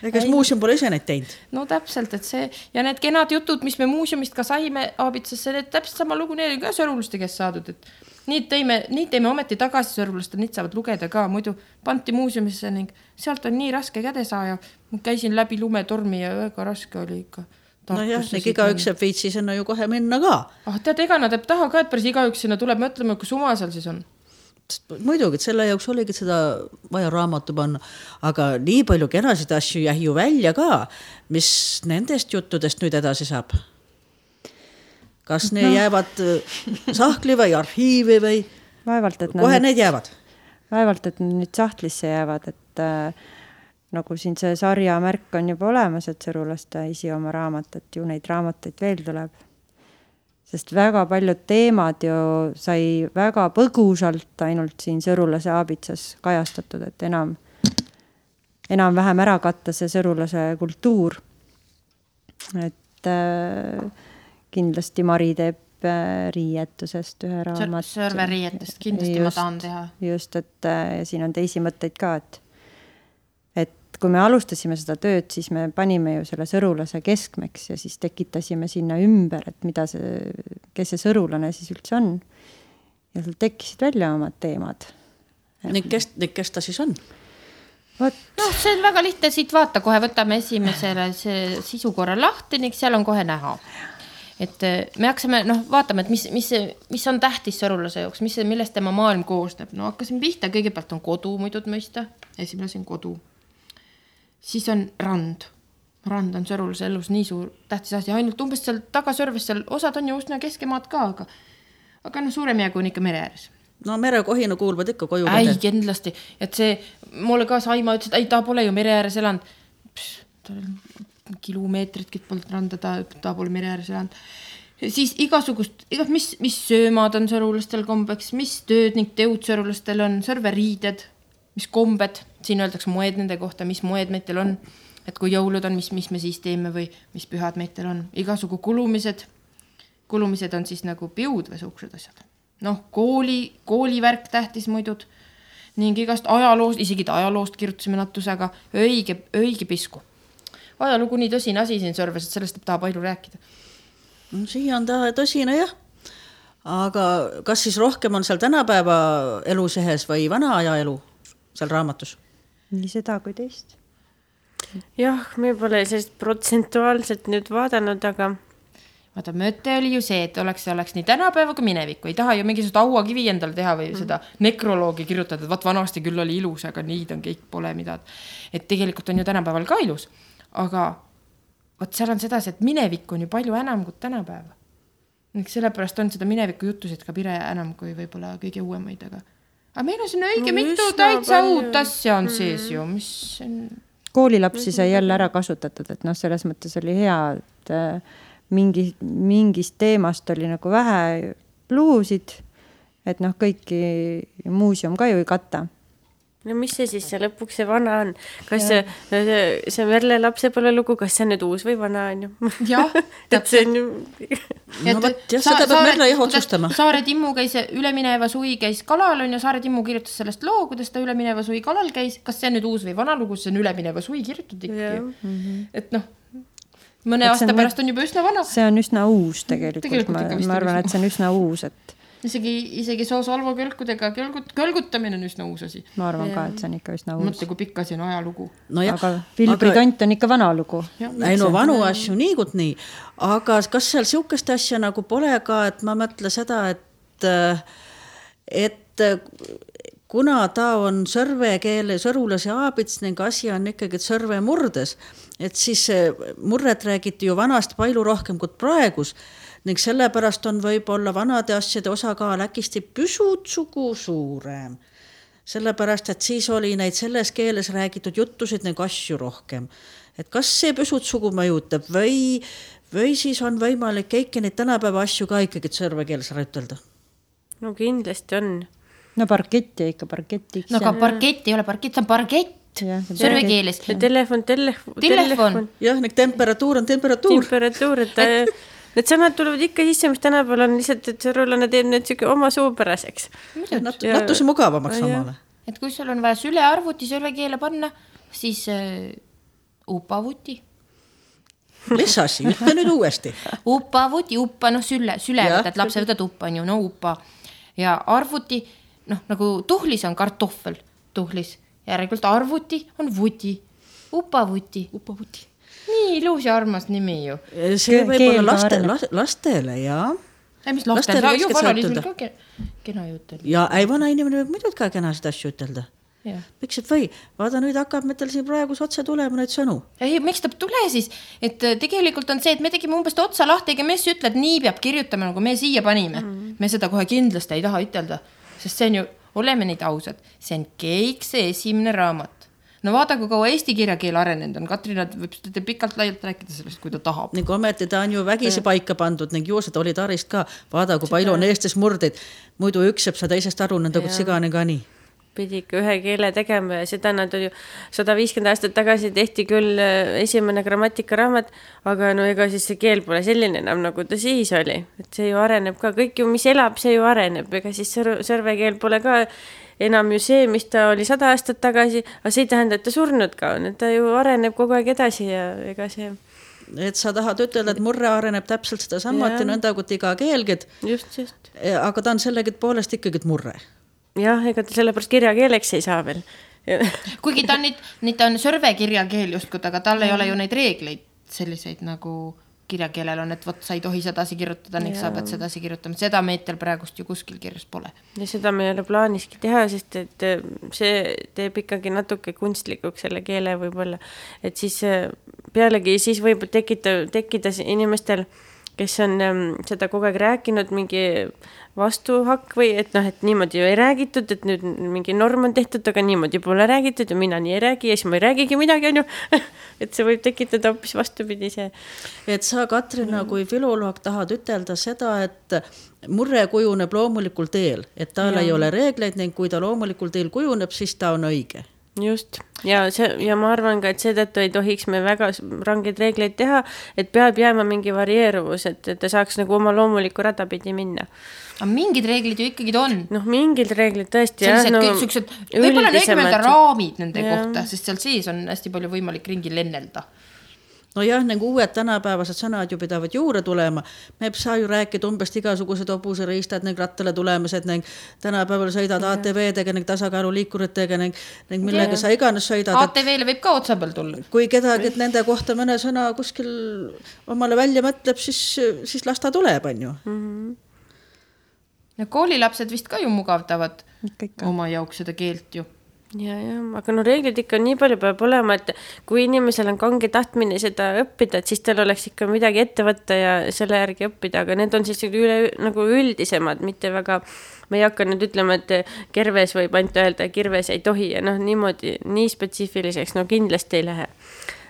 Ega muuseum pole ise neid teinud. No täpselt, et see ja need kenad jutud, mis me muuseumist ka saime Aabitsasse, need täpselt sama lugu, need on ka sõruluste käest saadud, et nii teeme ometi tagasi sõruluste, need saavad lugeda ka, muidu panti muuseumisse ning sealt on nii raske käde saa ja käisin läbi lumetormi ja väga raske oli ikka. No jah, iga üks jääb viitsi sinna ju kohe minna ka. Tead, ega nad taha ka, et päris iga üks sinna tuleb, mõtleme, kui suma seal siis on. Muidugi, selle jaoks oligi seda vaja raamatu panna, aga nii palju kenasid asju jäi ju välja ka, mis nendest juttudest nüüd edasi saab. Kas ne jäävad sahtli või arhiivi või? Vaevalt, et kohe need jäävad. Vaevalt, et nüüd sahtlisse jäävad, et nagu siin see sarja märk on juba olemas, et Sõrulaste isi oma raamat, et ju neid raamatuid veel tuleb. Sest väga paljud teemad ju sai väga põgusalt ainult siin Sõrulase Aabitsas kajastatud, et enam vähem ära katta see Sõrulase kultuur. Et kindlasti Mari teeb riietusest ühe raamat. Sõrve riietest kindlasti ma tahan teha. Just, et siin on teisi mõtteid ka, et kui me alustasime seda tööd, siis me panime ju selle Sõrulase keskmeks ja siis tekitasime sinna ümber, et kes see sõrulane siis üldse on. Ja seal tekkisid välja omad teemad. Kes ta siis on? See on väga lihtne, siit vaata, kohe võtame esimesele see sisukorra lahti ning seal on kohe näha. Et me hakkasime, vaatame, et mis on tähtis Sõrulase jooks, millest tema maailm koosneb. Hakkasime pihta, kõigepealt on kodu muidud mõista, esimene on kodu. Siis on rand. Rand on Sõrulase elus nii suur tähtis asi. Ainult umbes seal tagasõrves seal osad on ju usna keskemaad ka, aga suurem jäägu on ikka mere ääres. No merekohina kuulvad ikka koju. Ei, kindlasti. Et see, mulle ka Saima ütles, et ta pole ju mere ääres elanud. Kilomeetritki polnud randa, ta pole mere ääres elanud. Siis igasugust, mis söömad on Sõrulastel kombeks, mis tööd ning teud Sõrulastel on, sõrveriided, mis kombed, siin öeldakse moed nende kohta, mis moed meitel on, et kui jõulud on, mis me siis teeme või mis pühad meitel on. Igasugu kulumised on siis nagu piud või suhksed asjad. Koolivärk tähtis muidud ning igast ajaloost, isegi ajaloost kirjutasime natusega, õige pisku. Ajalugu nii tõsine asi siin Sõrves, et sellest taha palju rääkida. Siia on ta tõsine, jah. Aga kas siis rohkem on seal tänapäeva elusehes või vana aja elu seal raamatus? Nii seda kui teist. Jah, me pole sellist protsentuaalselt nüüd vaadanud, aga vaata, mõte oli ju see, et oleks nii tänapäeva kui minevikku. Ei taha ju mingisugust auakivi endale teha või seda nekroloogi kirjutada, et vanasti küll oli ilus, aga nii on kõik pole mida. Et tegelikult on ju tänapäeval ka ilus, aga seal on sedasi, et minevik on ju palju enam kui tänapäeva. Sellepärast on seda mineviku jutusid ka pire enam kui võib-olla kõige uuemaid, aga meil on siin õige mitu täitsa uut asja on sees ju, mis on... Koolilapsi sai jälle ära kasutatud, et selles mõttes oli hea, et mingist teemast oli nagu vähe lugusid, et kõiki muuseum ka ju ei katta. no mis see siis see lõpuks see vana on? Kas see Merle lapsepõlve lugu, kas see on nüüd uus või vana on ju? Jah, et see on ju... No võt, jah, seda peab Merle jah otsustama. Saare Timmu käis ülemineva suvi käis kalal on ja Saare Timmu kirjutas sellest loo, kuidas ta ülemineva suvi kalal käis. Kas see on nüüd uus või vana lugu, see on ülemineva suvi kirjutatud ikkagi. Et noh, mõne aasta pärast on juba üsna vana. See on üsna uus tegelikult ma arvan, et see on üsna uus, et Isegi Soosalvo kölkudega kölgutamine on üsna uus asi. Ma arvan ka, et see on ikka üsna uus. Mõtle, kui pikka see on ajalugu. No aga Vilbri tont on ikka vana lugu. Ei no vanu asju niigut nii. Aga kas seal siukest asja nagu pole ka, et ma mõtle seda, et kuna ta on sõrvekeele, sõrulas ja aabits ning asi on ikkagi sõrve murdes, et siis murret räägiti ju vanast palju rohkem kui praegus. Ning sellepärast on võib-olla vanade asjade osakaal äkisti püsud sugu suurem. Sellepärast, et siis oli neid selles keeles räägitud juttusid ning asju rohkem. Et kas see püsud sugu mõjutab või siis on võimalik kõiki neid tänapäeva asju ka ikkagi sõrvekeeles räätelda? No kindlasti on. No parketti ikka, parketti. No aga parkett ei ole parkett, see on parkett. Sõrvekeeles. Telefon. Jah, ning temperatuur on temperatuur. Need sõnad tulevad ikka sisse, mis tänapäeval on lihtsalt, et sõrulane teeb need oma suupäraseks. Natuse mugavamaks samale. Et kui sul on vaja sülearvuti sõrvekeele panna, siis upavuti. Mis asi? Ütle nüüd uuesti. Upavuti, süle võtad, lapse võtad uppa, no upa. Ja arvuti, nagu tuhlis on kartoffel, tuhlis. Järelikult arvuti on vuti. Upavuti. Nii ilus ja armas nimi ju. See võib olla lastele, jah. Mis lastele? Ju vananismil ka kena jutelda. Ja ei vana inimene võib muidugi ka kenasid asju ütelda. Miks et või? Vaada, nüüd hakkab metel siin praegus otse tulema neid sõnu. Ei, miks ta tule siis? Et tegelikult on see, et me tegime umbes otsa lahti, ega mees ütled, nii peab kirjutama, nagu me siia panime. Me seda kohe kindlasti ei taha ütelda. Sest see on ju, oleme neid ausad, see on Keikse esimene raamat. No vaada, kui kaua eesti kirjakeel arenenud on. Katrina võib pikalt laialt rääkida sellest, kui ta tahab. Ning ometi ta on ju vägisi paika pandud ning juused olid arist ka. Vaada, kui palju on Eestis murdeid. Muidu üks jääb sa teisest aru, nõnda kui sigane ka nii. Pidi ikka ühe keele tegema ja seda nad oli ju 150 aastat tagasi tehti küll esimene grammatikaraamat, aga no ega siis see keel pole selline enam, nagu ta siis oli. Et see ju areneb ka, kõik ju, mis elab, see ju areneb. Ega siis sõrvekeel pole ka enam ju see, mis ta oli 100 aastat tagasi, aga see ei tähenda, et ta surnud ka on, et ta ju areneb kogu aeg edasi ja ega see... Et sa tahad ütelda, et murre areneb täpselt seda samat ja nõnda, kui iga keelged. Just. Aga ta on sellegid poolest ikkagi murre. Jah, ega ta sellepärast kirjakeeleks ei saa veel. Kuigi ta on sõrvekirjakeel just, aga tal ei ole ju neid reegleid selliseid nagu kirjakeelel on, et võt, sa ei tohi sedasi kirjutada, ning sa pead sedasi kirjutama. Seda meetel praegust ju kuskil kirjas pole. Ja seda me ei ole plaaniski teha, sest et see teeb ikkagi natuke kunstlikuks selle keele võib-olla. Et siis pealegi siis võib tekkida inimestel, kes on seda kogu aeg rääkinud, mingi vastuhakk või et et niimoodi ju ei räägitud, et nüüd mingi norm on tehtud, aga niimoodi pole räägitud ja mina nii ei räägi ja siis ma ei räägigi midagi, on ju. Et see võib tekitada hoopis vastupidi see. Et sa, Katrina, kui filoloog tahad ütelda seda, et murre kujuneb loomulikul teel, et tal ei ole reegleid ning kui ta loomulikul teel kujuneb, siis ta on õige. Just. Ja ma arvan ka, et seetõttu ei tohiks me väga rangeid reegleid teha, et peab jääma mingi varieeruvus, et ta saaks nagu oma loomuliku rada pidi minna. Aga mingid reeglid ju ikkagi on. Mingid reeglid tõesti. Võib-olla mõelda raamid nende kohta, sest seal sees on hästi palju võimalik ringi lennelda. No jah, uued tänapäevased sõnad ju pidavad juurde tulema. Me saa ju rääkida umbes igasugused hobuseriistad, rattale tulemised, tänapäeval sõidad ATV-dega, tasakaaluliikuritega, millega sa iganes sõidad. ATV-le võib ka otsa peal tulla. Kui kedagi nende kohta mõne sõna kuskil omale välja mõtleb, siis las ta tuleb, on ju. Ja koolilapsed vist ka ju mugavdavad oma jaoks seda keelt ju. Ja, aga reeglid ikka nii palju peab olema, et kui inimesel on kange tahtmine seda õppida, et siis tal oleks ikka midagi ette võtta ja selle järgi õppida, aga need on siis nagu üldisemad, mitte väga, me ei hakka nüüd ütlema, et kerves võib ainult öelda, kirves ei tohi ja niimoodi, nii spetsiifiliseks, kindlasti ei lähe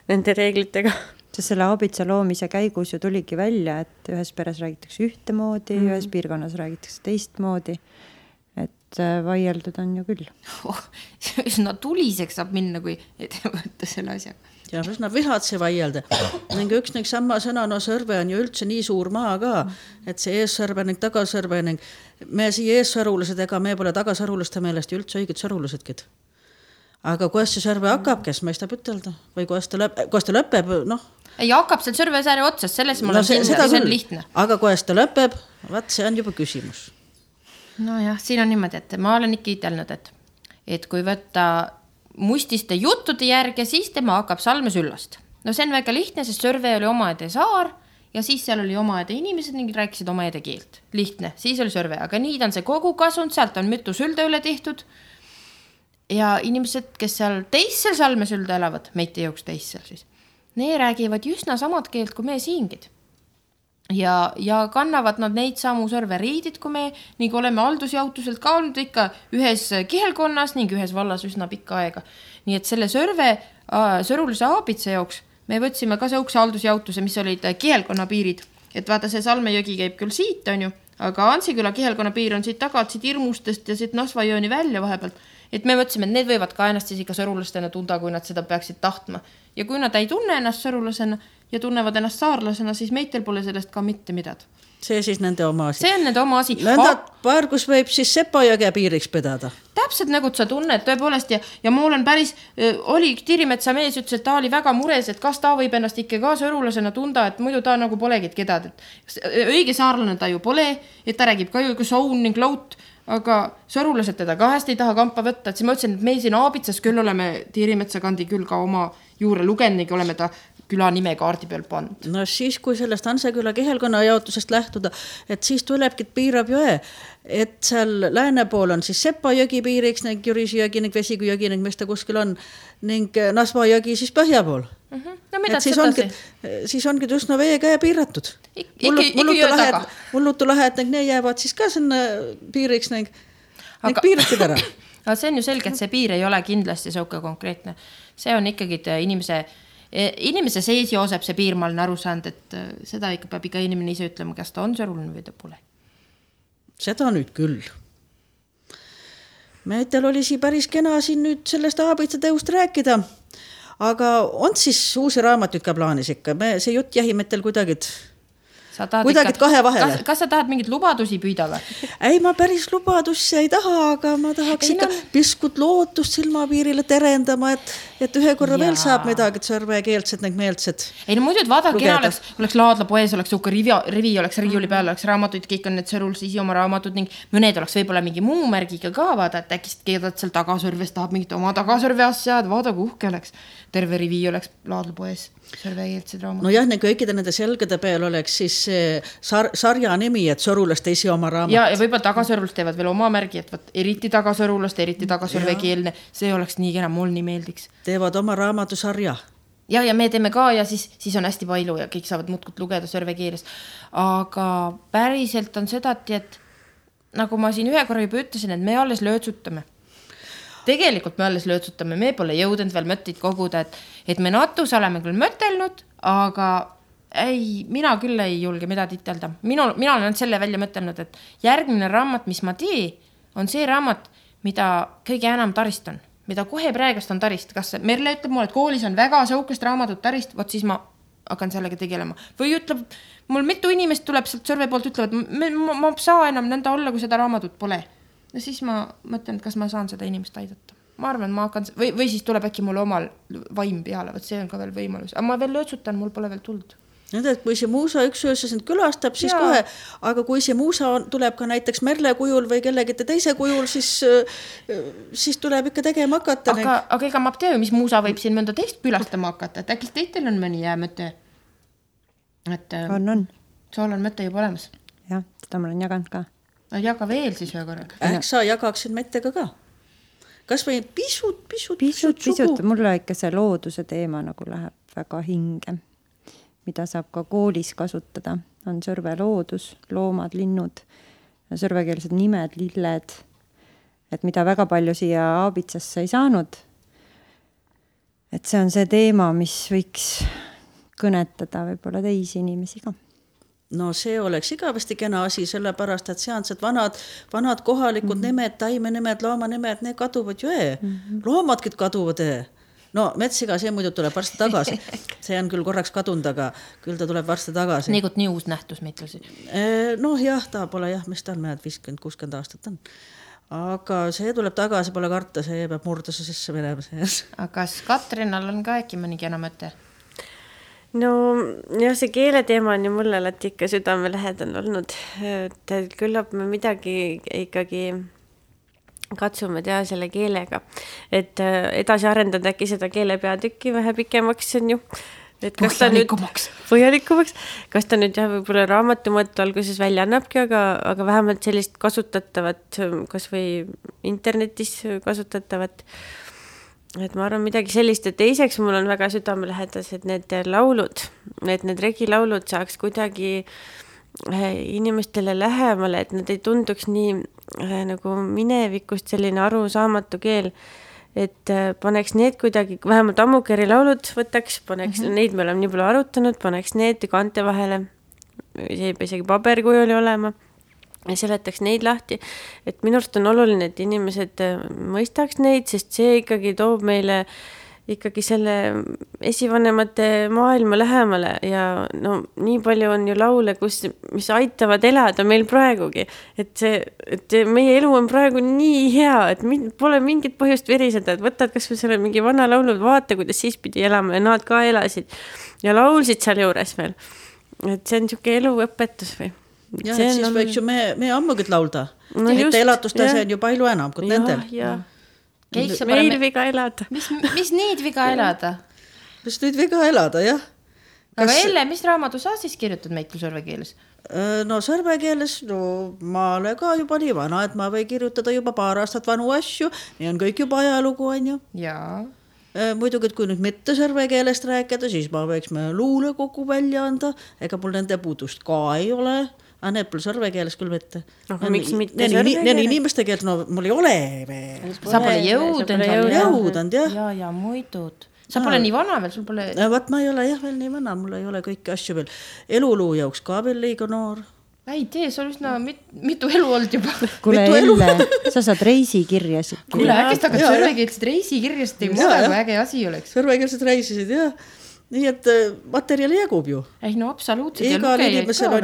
nende reeglitega. Sest selle aabitsa loomise käigus ju tuligi välja, et ühes peres räägitakse ühtemoodi, ühes piirkonnas räägitakse teistmoodi. Et vaieldud on ju küll. Üsna tuliseks saab minna, kui võtta selle asjaga. Ja üsna vihatse vaielda. Ning üks ning sama sõna, no sõrve on ju üldse nii suur maa ka, et see eessõrve ning tagasõrve ning me siia eessõrulused, ega me pole tagasõruluste meelest üldse õiged sõrulusedki. Aga kuidas see sõrve hakkab, kes mõistab ütelda? Või kuidas ta lõpeb, noh? Ei, hakkab seal sõrvesääre otsas, selles ma olen see on lihtne. Aga kuidas ta lõpeb, vaat see on juba küsimus. Nojah, siin on niimoodi, et ma olen ikka ütelnud, et kui võtta mustiste juttude järgi, siis tema hakkab salme süllast. No see on väga lihtne, sest sõrve oli omaede saar ja siis seal oli omaede inimesed ning rääkisid omaede keelt. Lihtne, siis oli sõrve, aga nii on see kogu kasund, sealt on mitu sülde üle tehtud. Ja inimesed, kes seal teissel salmesülde elavad, meid jõuks teissel siis, need räägivad üsna samad keelt kui me siingid. Ja kannavad nad neid samu sõrveriidid kui me, ning oleme haldusjautuselt ka olnud ikka ühes kihelkonnas ning ühes vallas üsna pikka aega. Nii et selle sõrulise aabitse jooks me võtsime ka sõukse haldusjautuse, mis olid kihelkonna piirid. Et vaata, see Salmejõgi käib küll siit, on ju, aga Ansiküla kihelkonna piir on siit tagad, siit Irmustest ja siit Nasvajööni välja vahepealt. Et me võtsime, et need võivad ka ennast siis ikka sõrulastena tunda, kui nad seda peaksid tahtma. Ja kui nad ei tunne ennast sõrulasena ja tunnevad ennast saarlasena, siis meitel pole sellest ka mitte midagi. See siis nende oma asi. See on nende oma asi. Nõndad paar, kus võib siis Sepajõge piiriks pidada. Täpselt nagu sa tunned, tõepoolest, ja mul on päris, oli Tirimetsa mees, ütles, et ta oli väga mures, et kas ta võib ennast ikka ka sõrulasena tunda, et muidu ta nagu polegid kedad. Õige saarlane ta ju pole, et ta räägib ka ju soun ning laut, aga sõrulased teda ka hästi ei taha kampa võtta, et siis ma ütlesin, et me siin Aabitsas küll oleme Tirimetsa kandi küll ka oma juure lugenud, oleme ta küla nime kaardi peal pannud. No siis, kui sellest Anseküla kihelkonna jaotusest lähtuda, et siis tulebki piirab jõe, et seal lääne pool on siis Sepajõgi piiriks, ning Jürisjõgi jõgi, ning Vesikü jõgi, ning mis ta kuskil on, ning Nasvajõgi siis põhja pool. No mida siis ongi üsna veekäe piiratud. Mullutu lahed, ning need jäävad siis ka sinna piiriks, ning piiratid ära. Aga see on ju selge, et see piir ei ole kindlasti sauke konkreetne. See on ikkagi inimese sees jooseb see piir, ma olen aru saanud, et seda ikka peab iga inimene ise ütlema, kas ta on sõruline või ta pole. Seda nüüd küll. Meitel oli siin päris kena siin nüüd sellest aabitsa teust rääkida, aga on siis uusi raamatuid ka plaanis ikka? See jutt jäi metel kuidagi kahe vahele. Kas sa tahad mingit lubadusi püüda või? Ei, ma päris lubadusi ei taha, aga ma tahaks ikka piskut lootust silmapiirile terendama, et ühe korra veel saab midagi sõrvekeeltsed ning meeltsed. Ei, no muidu, et vaadake, oleks Laadla poes, oleks suuka rivi, oleks riiuli peal, oleks raamatuid, kõik on need sõrul siis oma raamatud ning mõned oleks võib-olla mingi muu märgiga ka vaada, et äkki keedad seal tagasõrves, tahab mingit oma tagasõrve asjad, vaada, kui uhke oleks. Terve rivi oleks Laadla poes. Sõrvekeeltsed raamatud. No jah, kõikide nende selgede peal oleks siis sarja nimi, et sõrulaste esi oma raamat. Ja võib-olla tagasõrulast teevad veel oma märgi, et võt, eriti tagasõrulast, eriti tagasõrvekeelne, see oleks nii kena, mul nii meeldiks. Teevad oma raamatu sarja. Ja me teeme ka ja siis on hästi palju ja kõik saavad mutkut lugeda sõrvekeeles. Aga päriselt on seda, et nagu ma siin ühe korra juba ütlesin, et me alles löötsutame. Tegelikult me alles löötsutame, me pole jõudnud veel mõtteid koguda, et me natus oleme küll mõtelnud, aga mina küll ei julge midagi ütelda. Mina olen selle välja mõtelnud, et järgmine raamat, mis ma tee, on see raamat, mida kõige enam tarist on, mida kohe praegust on tarist. Kas Merle ütleb mulle, et koolis on väga saukest raamatut tarist, võt siis ma hakkan sellega tegelema. Või ütleb, mul mitu inimest tuleb sealt sõrve poolt, ütlevad, ma saa enam nõnda olla, kui seda raamatut pole. Ja siis ma mõtlen, kas ma saan seda inimest aidata. Ma arvan, ma hakkan, või siis tuleb äkki mul omal vaim peale, võt see on ka veel võimalus. Aga ma veel löötsutan, mul pole veel tuld. Nüüd, et kui see muusa üks öösse sind külastab, siis kohe, aga kui see muusa tuleb ka näiteks Merle kujul või kellegi teise kujul, siis tuleb ikka tegema hakata. Aga ega ma tean, mis muusa võib siin mõnda teist külastama hakata, et äkki teitel on mõni jää mõte? On. Sul on mõte juba olemas? Jah, seda ma olen jaganud ka. Jaga veel siis ühe korraga. Äkki sa jagaksid mettega ka? Kas või pisut sugu? Mulle ikka see looduse teema nagu läheb väga hinge, mida saab ka koolis kasutada. On sõrveloodus, loomad, linnud, sõrvekeelsed nimed, lilled, et mida väga palju siia Aabitsasse ei saanud. Et see on see teema, mis võiks kõnetada võib-olla teisi inimesi ka. no see oleks igavesti kena asi, sellepärast, et sealsed vanad kohalikud nimed, taimenimed, loomanimed, need kaduvad ju loomadki kaduvad No metssiga see muidu tuleb varsti tagasi. See on küll korraks kadunud, aga küll ta tuleb varsti tagasi. Niigut nii uus nähtus, ma ütlesin. No jah, ta pole mis ta on, 50-60 aastat on. Aga see tuleb tagasi, pole karta, see peab murduse sisse minema. Aga kas Katrinal on ka äkki mõni kena mõte? No jah, see keele teema on ju mulle alati ikka südame lähedal olnud. Et küllap me midagi ikkagi katsume teha selle keelega. Et edasi arendada äkki seda keele peatükki vähe pikemaks on ju. Et kas põhjalikumaks. Kas ta nüüd jah, võib-olla raamatu mõttu alguses välja annabki, aga vähemalt sellist kasutatavat, kas või internetis kasutatavat. Et ma arvan midagi sellist, et teiseks mul on väga südamelähedased need laulud, et need regilaulud saaks kuidagi inimestele lähemale, et nad ei tunduks nii nagu minevikust selline arusaamatu keel, et paneks need kuidagi, vähemalt Ammukeri laulud võtaks, paneks neid me oleme nii palju arutanud, paneks need kaante vahele, see ei pea isegi paberkujul olema, ja seletaks neid lahti, et minu arust on oluline, et inimesed mõistaks neid, sest see ikkagi toob meile ikkagi selle esivanemate maailma lähemale ja no nii palju on ju laule, mis aitavad elada meil praegugi, et meie elu on praegu nii hea, et pole mingit põhjust viriseda, et võtad kas või selle mingi vana laulu, vaata, kuidas siis pidi elama ja nad ka elasid ja laulsid seal juures veel, et see on niisugune eluõpetus või? Jah, et siis võiks ju me ammugid laulda, et elatustase on ju palju enam kui nendel. Meil viga elada. Mis neid viga elada? Mis neid viga elada, jah. Aga Elle, mis raamatu sa siis kirjutad Meiklu sõrvekeeles? No sõrvekeeles, no ma olen ka juba nii vana, et ma või kirjutada juba paar aastat vanu asju, nii on kõik juba ajalugu, on ju. Jaa. Muidugi, et kui nüüd mitte sõrvekeelest rääkida, siis ma võiks me luulekogu välja anda, ega mul nende puudust ka ei ole. Need pole sõrvekeeles küll mitte. Aga miks mitte sõrvekeeles? Need inimeste keelt, no mul ei ole. Sa pole jõudnud, jah. Ja muidud. Sa pole nii vana veel, sul pole... Vaat ma ei ole jah veel nii vana, mul ei ole kõiki asju veel. Eluluu jauks ka veel liiga noor. Ei tee, sul üsna mitu elu olnud juba. Kuule, Elle, sa saad reisikirjasid. Kuule, äkest hakkad sõrvekeelsid reisikirjast, ei mõne, kui äge asi oleks. Sõrvekeelsed reisisid, jah. Nii et materjali jagub ju. Ei, no absoluutselt. Igal inimesel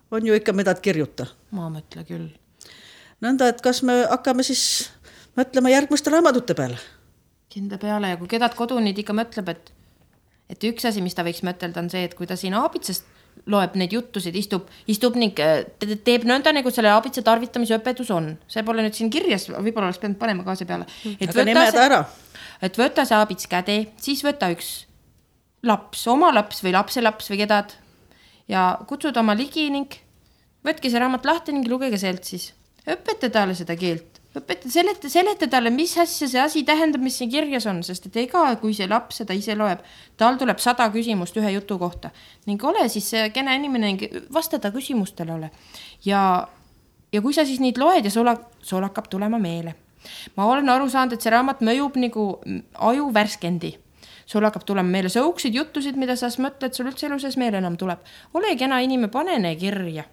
on ju ikka midagi kirjuta. Ma mõtle küll. Nõnda, et kas me hakkame siis mõtlema järgmiste raamatute peale? Kindla peale ja kui kedad kodunid ikka mõtleb, et üks asi, mis ta võiks mõtelda on see, et kui ta siin aabitsast loeb neid juttusid, istub ning teeb nõnda, nagu selle aabitsa tarvitamise õpetus on. See pole nüüd siin kirjas, võib-olla oleks pidanud panema ka see peale. Aga nimeda ära. Et võtta see aabits käde, siis võtta üks laps, oma laps või lapselaps või kedad ja kutsud oma ligi ning võtke see raamat lahti ning lugege sealt siis. Õpeta talle seda keelt. Seleta talle, mis asja see asi tähendab, mis siin kirjas on, sest et ega kui see laps seda ise loeb, tal tuleb 100 küsimust ühe jutu kohta ning ole siis see kena inimene ning vastada küsimustele ole. Ja kui sa siis neid loed ja sul hakkab tulema meele. Ma olen aru saanud, et see raamat mõjub nagu aju värskendi. Sul hakkab tulema meele sõuksid jutusid, mida sa mõtled, sul üldse elu sees meele enam tuleb. Ole kena inimene, pane ne kirja.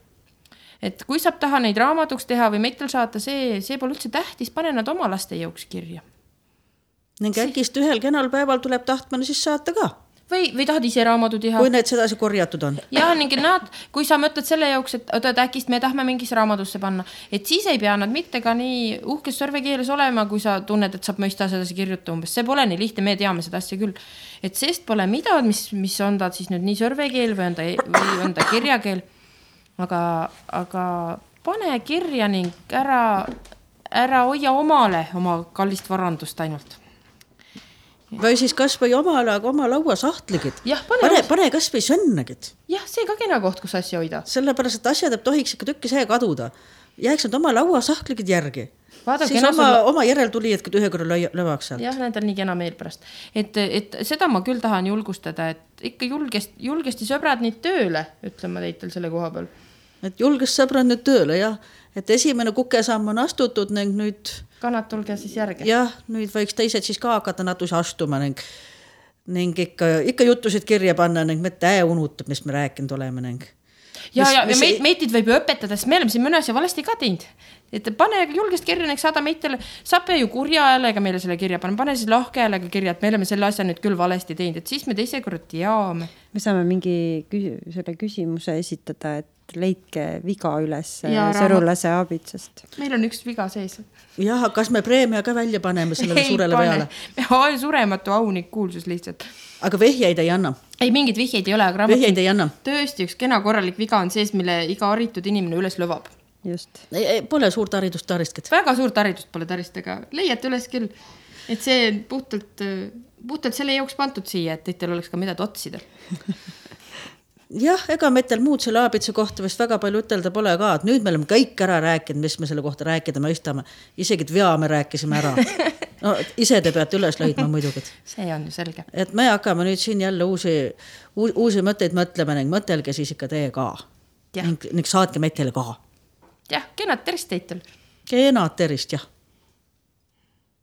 Et kui saab taha neid raamatuks teha või meitel saata, see pole üldse tähtis, pane nad oma laste jõuks kirja. Ning äkist ühel kenal päeval tuleb tahtmane siis saata ka. Või tahad ise raamatu teha? Kui need sedasi korjatud on. Ja ning nad, kui sa mõtled selle jõuks, et äkist me tahame mingis raamatusse panna, et siis ei pea nad mitte ka nii uhkes sõrvekeeles olema, kui sa tunned, et saab mõista sedasi kirjuta umbes. See pole nii lihtne, me teame seda asja küll. Et sest pole midagi, mis on ta siis nüüd nii sõrvekeel või on ta kirjakeel. Aga pane kirja ning ära hoia omale oma kallist varandust ainult. Või siis kas või omale, aga oma laua sahtligid. Pane kas või sõnnagid. Jah, see ka kena koht, kus asja hoida. Sellepärast, et asjad tohiks ikka tükki see kaduda. Jääks nad oma laua sahtligid järgi. Siis oma järeltulijadki ühe korra lõvaks sealt. Jah, need on nii kena meel pärast. Et seda ma küll tahan julgustada, et ikka julgesti sõbrad nii tööle, ütlema teitel selle koha peal. Et julgest sõbrad nüüd tööle, jah. Et esimene kukesamm on astutud ning nüüd... Kannad tulge siis järge. Jah, nüüd võiks teised siis ka hakata natuke astuma ning ikka jutusid kirja panna ning mitte unutab, mis me rääkinud oleme ning ja meitid võib ju õpetada, sest me oleme siin mõne asja valesti ka teinud. Et pane julgest kirja, näiteks saada meitele, saab ju kurja häälega meile selle kirja pane siis lahke häälega kirja, et me oleme selle asja nüüd küll valesti teinud, et siis me teise kord teame. Me saame mingi selle küsimuse esitada, et leidke viga üles Sõrulase aabitsast. Meil on üks viga sees. Jah, kas me preemia ka välja paneme sellele suurele veale? Surematu aunik kuulsus lihtsalt. Aga vihjeid ei anna? Ei, mingid vihjeid ei ole, aga vihjeid ei anna. Tõesti üks kena korralik viga on sees, mille iga haritud inimene üles lõvab. Just. Pole suurt haridust taristket. Väga suurt haridust pole tarist, aga leiate üles küll. Et see puhtalt selle jooks pantud siia, et teil oleks ka midagi otsida. Jah, ega metel muud selle aabitsa kohta vist väga palju ütelda pole ka, et nüüd me oleme kõik ära rääkinud, mis me selle kohta rääkida mõistame. Isegi vea me rääkisime ära. No, ise te peate üles lõidma muidugi. See on ju selge. Et me hakkame nüüd siin jälle uusi mõtteid mõtlema ning mõtelge siis ikka teie ka. Ning saatke meid teile ka. Jah, kenad tervist teitel. Kenad tervist, jah.